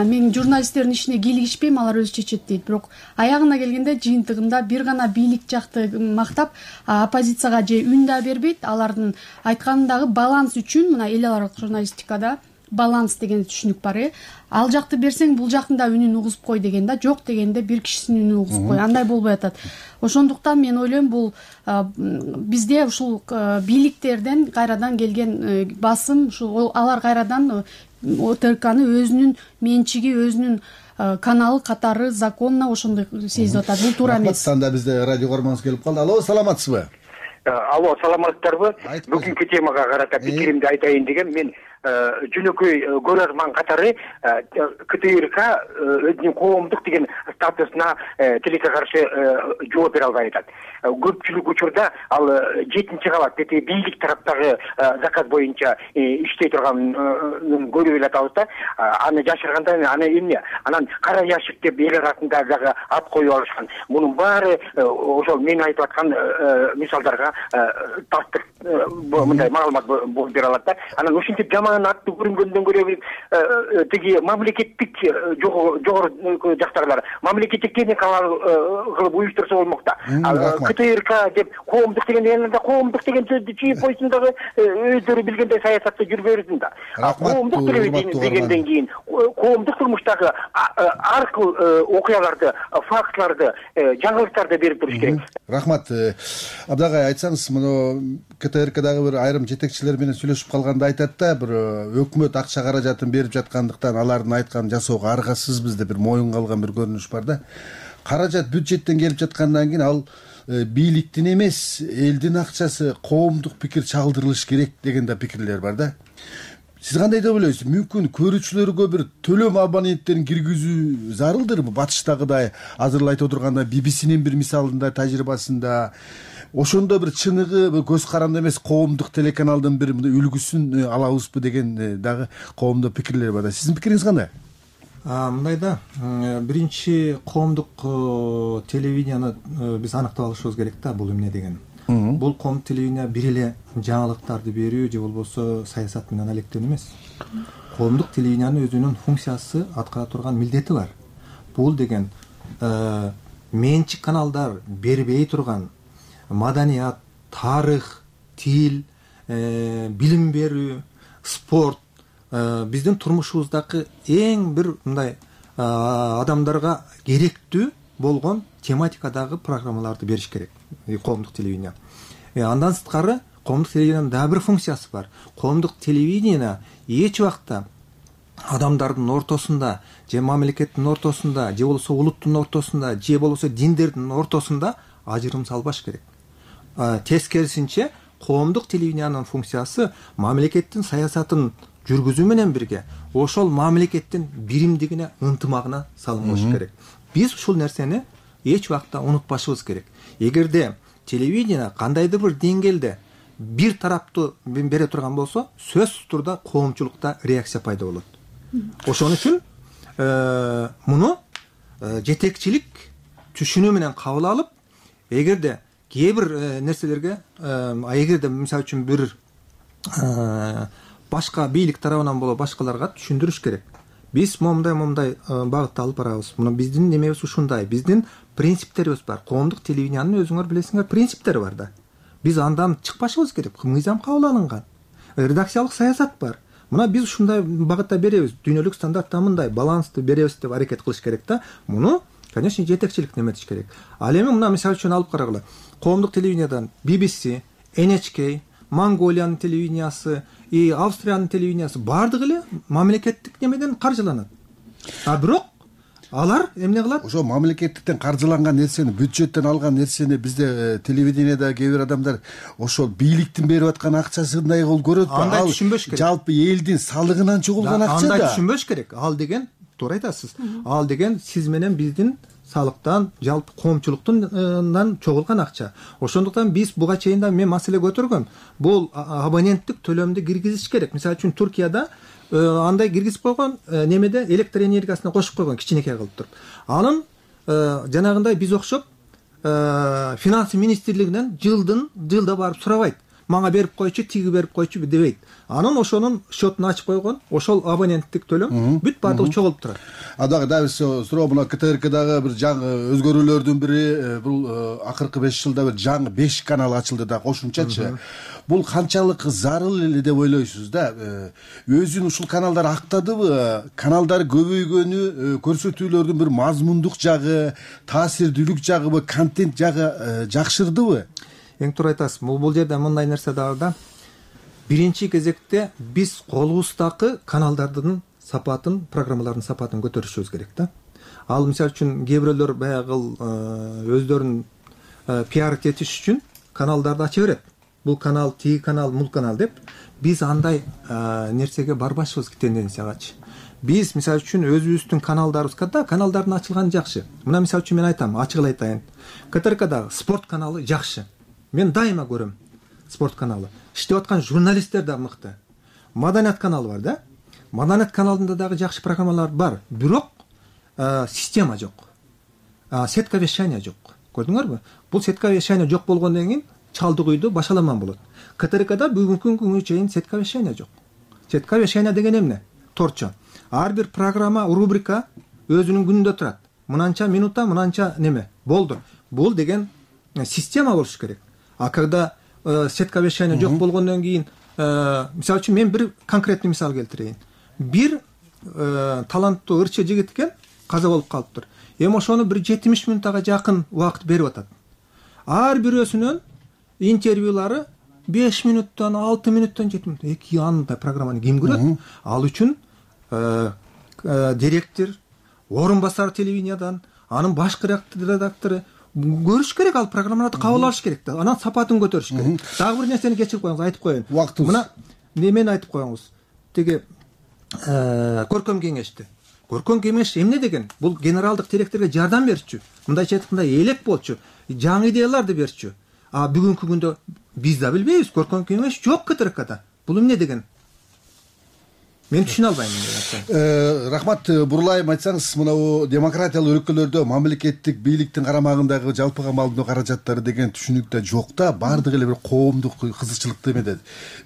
мен журналисттердин ишине кийлигишпейм, алар өзү чечет дейт. Бирок аягына келгенде жыйынтыгында бир гана бийлик жакты мактап, оппозицияга же үн да бербейт. Алардын айтканындагы баланс үчүн, мына эл аралык журналистикада баланс деген түшүнүк бар. Ал жакты берсең, бул жактын да үнүн угузуп кой деген да, жок дегенде бир кишинин үнүн угузуп кой. Андай болбой атат. Ошондуктан мен ойлойм, бул бизде ушул бийликтерден кайрадан келген басым, ушул алар кайрадан ОТРКны өзүнүн менчиги, өзүнүн каналы катары законно ошондой сезип атат. Бул туура эмес. Анда бизде радио көрмөңүз келип калды. Алло, саламатсызбы? Алло, саламатсыздарбы? Бүгүнкү темага карата пикиримди айтайын деген мен жөнөкөй көрөрман катары КТРК өзүнүн коомдук деген статусуна тилекке каршы жооп бере албай атат. Көпчүлүк учурда ал 7-чи кабат бийлик тараптагы заказ боюнча иштей турганын көрүп атабыз да. Аны жашырганда аны эмне? Анан кара яшик деп эл арасында дагы ат коюп алышкан. Мунун баары ошол мен айтып аткан мисалдарга тастык мындай маалымат бере алат да. Анан ушинтип жаман аттуу көрүнгөндөн көрө тиги мамлекеттик жогору жактагылар мамлекеттик техника кылып уюштурса болмок да. КТРК деп коомдук деген элде коомдук деген сөздү чийип койсун дагы өздөрү билгендей саясатты жүргүп берсин да. Коомдук дегенден кийин коомдук турмуштагы ар кыл окуяларды, фактларды, жаңылыктарды берип туруш керек. Рахмат. Абдагай, айтсаңыз, муну КТРКдагы бир айрым жетекчилер менен сүйлөшүп калганда айтат да, бир өкмөт акча каражатын берип жаткандыктан алардын айтканын жасоого аргасызбыз деп бир моюнга алган бир көрүнүш бар да. Каражат бюджеттен келип жаткандан кийин ал бийликтин эмес, элдин акчасы, коомдук пикир чагдырылыш керек деген да пикирлер бар да. Сиз кандай деп ойлойсуз? Мүмкүн көрүүчүлөргө бир төлөм абоненттерин киргизүү зарылдырбы? Батыштагыдай азыр айтып отурганда BBC-нин бир мисалында, тажрыйбасында ошондо бир чыныгы көз каранды эмес коомдук телеканалдын бир үлгүсүн алабызбы деген дагы коомдо пикирлер бар да. Сиздин пикириңиз кандай? Мындай да, биринчи коомдук телевиденияны биз аныктап алышыбыз керек да, бул эмне деген. Бул коомдук телевидение бир эле жаңылыктарды берүү же болбосо саясат менен алектенүү эмес. Коомдук телевидениянын өзүнүн функциясы, аткара турган милдети бар. Бул деген менчик каналдар бербей турган маданият, тарых, тил, билим берүү, спорт биздин турмушубуздагы эң бир мындай адамдарга керектүү болгон тематикадагы программаларды бериш керек коомдук телевидение. Андан сырткары коомдук телевидениянын дагы бир функциясы бар. Коомдук телевидение эч убакта адамдардын ортосунда, же мамлекеттин ортосунда, же болбосо улуттун ортосунда, же болбосо диндердин ортосунда ажырым салбаш керек. Тескерисинче, коомдук телевидениянын функциясы мамлекеттин саясатын жүргүзүү менен бирге ошол мамлекеттин биримдигине, ынтымагына салым кылыш керек. Биз ушул нерсени эч убакта унутпашыбыз керек. Эгерде телевидение кандайдыр бир деңгээлде бир тараптуу бере турган болсо, сөзсүз турда коомчулукта реакция пайда болот. Ошон үчүн муну жетекчилик түшүнүү менен кабыл алып, эгерде кээ бир нерселерге, эгерде мисалы үчүн бир башка бийлик тарабынан боло башкаларга түшүндүрүш керек. Биз момундай багытта алып барабыз. Муну биздин немебиз ушундай. Биздин принциптерибиз бар. Коомдук телевидениянын өзүңөр билесиңер принциптери бар да. Биз андан чыкпашыбыз керек. Мыйзам кабыл алынган. Редакциялык саясат бар. Мына биз ушундай багытта беребиз. Дүйнөлүк стандартта мындай балансты беребиз деп аракет кылыш керек да. Муну, конечно, жетекчилик неметиш керек. Ал эми мына мисалы үчүн алып карагыла. Коомдук телевидениядан BBC, NHK, Монголиянын телевидениясы, Австриянын телевидениясы бардыгы эле мамлекеттик немеден каржыланат. Бирок алар эмне кылат? Ошо мамлекеттиктен каржыланган нерсени, бюджеттен алган нерсени бизде телевидениеда кээ бир адамдар ошол бийликтин берип аткан акчасындай кылып көрөт. Андай түшүнбөш керек. Жалпы элдин салыгынан чыгылган акча да. Андай түшүнбөш керек. Ал деген туура айтасыз. Ал деген сиз менен биздин салыктан, жалпы коомчулуктан чогулган акча. Ошондуктан биз буга чейин да мен маселе көтөргөм. Бул абоненттик төлөмдү киргизиш керек. Мисалы үчүн Туркияда андай киргизип койгон, немеде электр энергиясына кошуп койгон кичинекей кылып туруп. Анын жанагындай биз окшоп финансы министрлигинен жылда барып сурабайт. Мага берип койчу, тиги берип койчу дебейт. Анын ошонун счетун ачып койгон, ошол абоненттик төлөм бүт баардыгы чогулуп турат. Дагы биз суроо, мына КТРКдагы бир жаңы өзгөрүүлөрдүн бири бул акыркы 5 жылда бир жаңы 5 канал ачылды да кошумчачы. Бул канчалык зарыл эле деп ойлойсуз да? Өзүн ушул каналдар актадыбы? Каналдар көбөйгөнү көрсөтүүлөрдүн бир мазмундук жагы, таасирдүүлүк жагыбы, контент жагы жакшырдыбы? Эң туура айтасыз. Бул жерде мындай нерсе дагы да. Биринчи кезекте биз колубуздагы каналдардын сапатын, программалардын сапатын көтөрүшүбүз керек да. Ал мисалы үчүн кээ бирөөлөр баягы өздөрүн пиар этиш үчүн каналдарды ача берет. Бул канал, тиги канал, мул канал деп. Биз андай нерсеге барбашыбыз тенденциягачы. Биз мисалы үчүн өзүбүздүн каналдарыбызга каналдардын ачылганы жакшы. Мына мисалы үчүн мен айтам, ачык эле айтайын. КТРКдагы спорт каналы жакшы. Мен дайыма көрөм спорт каналы. Иштеп аткан журналисттер да мыкты. Маданият каналы бар да. Маданият каналында дагы жакшы программалар бар. Бирок система жок. Сетка вещания жок. Көрдүңөрбү? Бул сетка вещания жок болгондон кийин чалдык үйдө башаламан болот. КТРКда бүгүнкү күнгө чейин сетка вещания жок. Сетка вещания деген эмне? Торчо. Ар бир программа, рубрика өзүнүн күнүндө турат. Мынанча минутта, мынанча неме болду. Бул деген система болуш керек. А когда сетка вещания жок болгондон кийин, мисалы үчүн мен бир конкретный мисал келтирейин. Бир таланттуу ырчы жигит экен, каза болуп калыптыр. Эми ошону бир 70 минуттага жакын убакыт берип атат. Ар бирөөсүнүн интервьюлары 5 минуттан, 6 минуттан 7 минут. Эки андай программаны ким көрөт? Ал үчүн директор, орун басар телевидениядан, анын башкы редактору көрүш керек, ал программаларды кабыл алыш керек да. Анан сапатын көтөрүш керек. Дагы бир нерсени кечирип коюңуз, айтып коеюн. Мына немени айтып коюңуз. Теги көркөм кеңешти. Көркөм кеңеш эмне деген? Бул генералдык директорго жардам берчү. Мындайча айтканда элек болчу. Жаңы идеяларды берчү. А бүгүнкү күндө биз да билбейбиз, көркөм кеңеш жок КТРКда. Бул эмне деген? Мен түшүнө албайм. Рахмат, бурулайым айтсаңыз, мына демократиялык өлкөлөрдө мамлекеттик бийликтин карамагындагы жалпыга маалымдоо каражаттары деген түшүнүк да жок да, баардыгы эле бир коомдук кызыкчылыкты эмедет.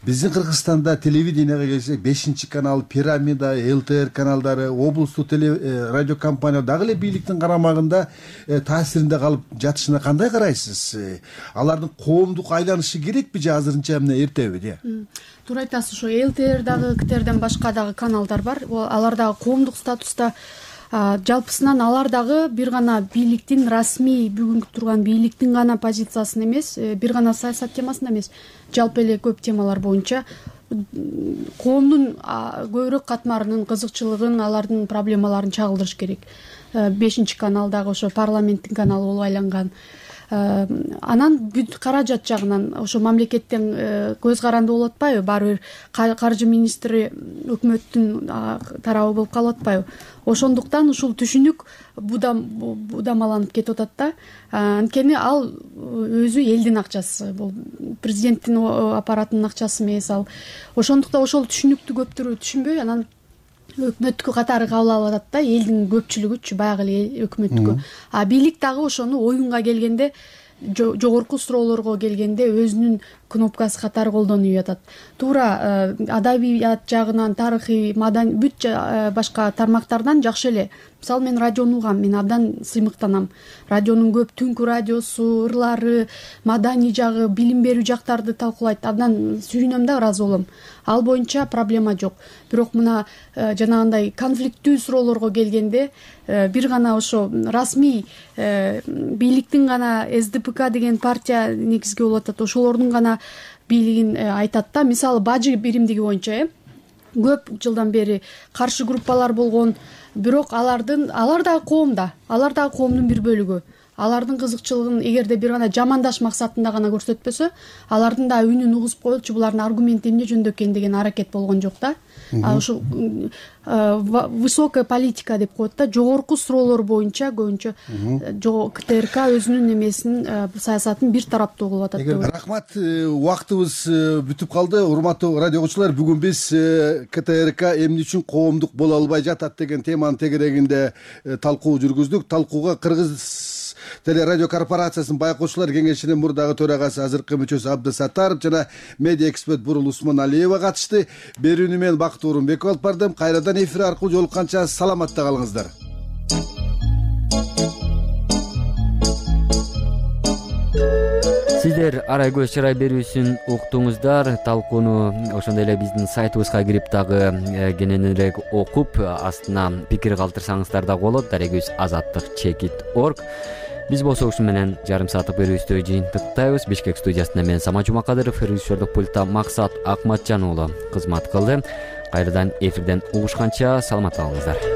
Биздин Кыргызстанда телевиденияга келсек, 5 канал, Пирамида, ЛТР каналдары, облустук радио компания дагы эле бийликтин карамагында таасиринде калып жатышына кандай карайсыз? Алардын коомдук айланышы керекпи же азырынча эмне эртеби? Туура айтасыз, ошо ЛТР дагы, КТРден башка дагы каналдар бар. Алар дагы коомдук статуста. Жалпысынан алар дагы бир гана бийликтин расмий бүгүнкү турган бийликтин гана позициясын эмес, бир гана саясат темасында эмес, жалпы эле көп темалар боюнча коомдун көбүрөөк катмарынын кызыкчылыгын, алардын проблемаларын чагылдырыш керек. 5 канал дагы ошо парламенттин каналы болуп айланган. Анан бүт каражат жагынан ошо мамлекеттен көз каранды болуп атпайбы? Баары бир каржы министри өкмөттүн тарабы болуп калып атпайбы? Ошондуктан ушул түшүнүк будамаланып кетип атат да. Анткени ал өзү элдин акчасы, бул президенттин аппаратынын акчасы эмес ал. Ошондуктан ошол түшүнүктү көптөр түшүнбөй, анан өкмөттүкү катары кабыл алып атат да, элдин көпчүлүгүчү баягы эле өкмөттүкү. А бийлик дагы ошону оюнга келгенде, жогорку суроолорго келгенде өзүнүн кнопкасы катары колдонуп атат. Туура адабият жагынан, тарыхый, маданий бүт башка тармактардан жакшы эле. Мисалы мен радиону угам, мен абдан сыймыктанам. Радионун көп түнкү радиосу, ырлары, маданий жагы, билим берүү жактарды талкуулайт. Абдан сүйүнөм да, ыраазы болом. Ал боюнча проблема жок. Бирок мына жанагындай конфликттүү суроолорго келгенде бир гана ошо расмий бийликтин гана СДПК деген партия негизги болуп атат. Ошолордун гана бийлигин айтат да. Мисалы бажы биримдиги боюнча көп жылдан бери каршы группалар болгон, бирок алар дагы коомдун бир бөлүгү. алардын кызыкчылыгын эгерде бир гана жамандаш максатында гана көрсөтпөсө, алардын да үнүн угузуп коелучу, булардын аргументи эмне жөнүндө экен деген аракет болгон жок да. Ушул высокая политика деп коет да, жогорку суроолор боюнча көбүнчө КТРК өзүнүн эмесин, саясатын бир тараптуу кылып атат деп. Рахмат, убактыбыз бүтүп калды. Урматтуу радио угуучулар, бүгүн биз КТРК эмне үчүн коомдук боло албай жатат деген теманын тегерегинде талкуу жүргүздүк. Талкууга Кыргыз телерадио корпорациясынын байкоочулар кеңешинин мурдагы төрагасы, азыркы мүчөсү Абдысаттаров жана медиа эксперт Бурул Усманалиева катышты. Берүүнү мен Бакыт Орунбеков алып бардым. Кайрадан эфир аркылуу жолукканча саламатта калыңыздар. Сиздер Арай көз чырай берүүсүн уктуңуздар. Талкууну ошондой эле биздин сайтыбызга кирип дагы кененирээк окуп, астына пикир калтырсаңыздар да болот. daraguz@azаттык.org. Биз болсо ушун менен жарым сааттык берүүбүздү жыйынтыктайбыз. Бишкек студиясында мен Самат Жумакадыров, режиссердик пультта Максат Акматжан уулу кызмат кылды. Кайрадан эфирден угушканча саламатта калыңыздар.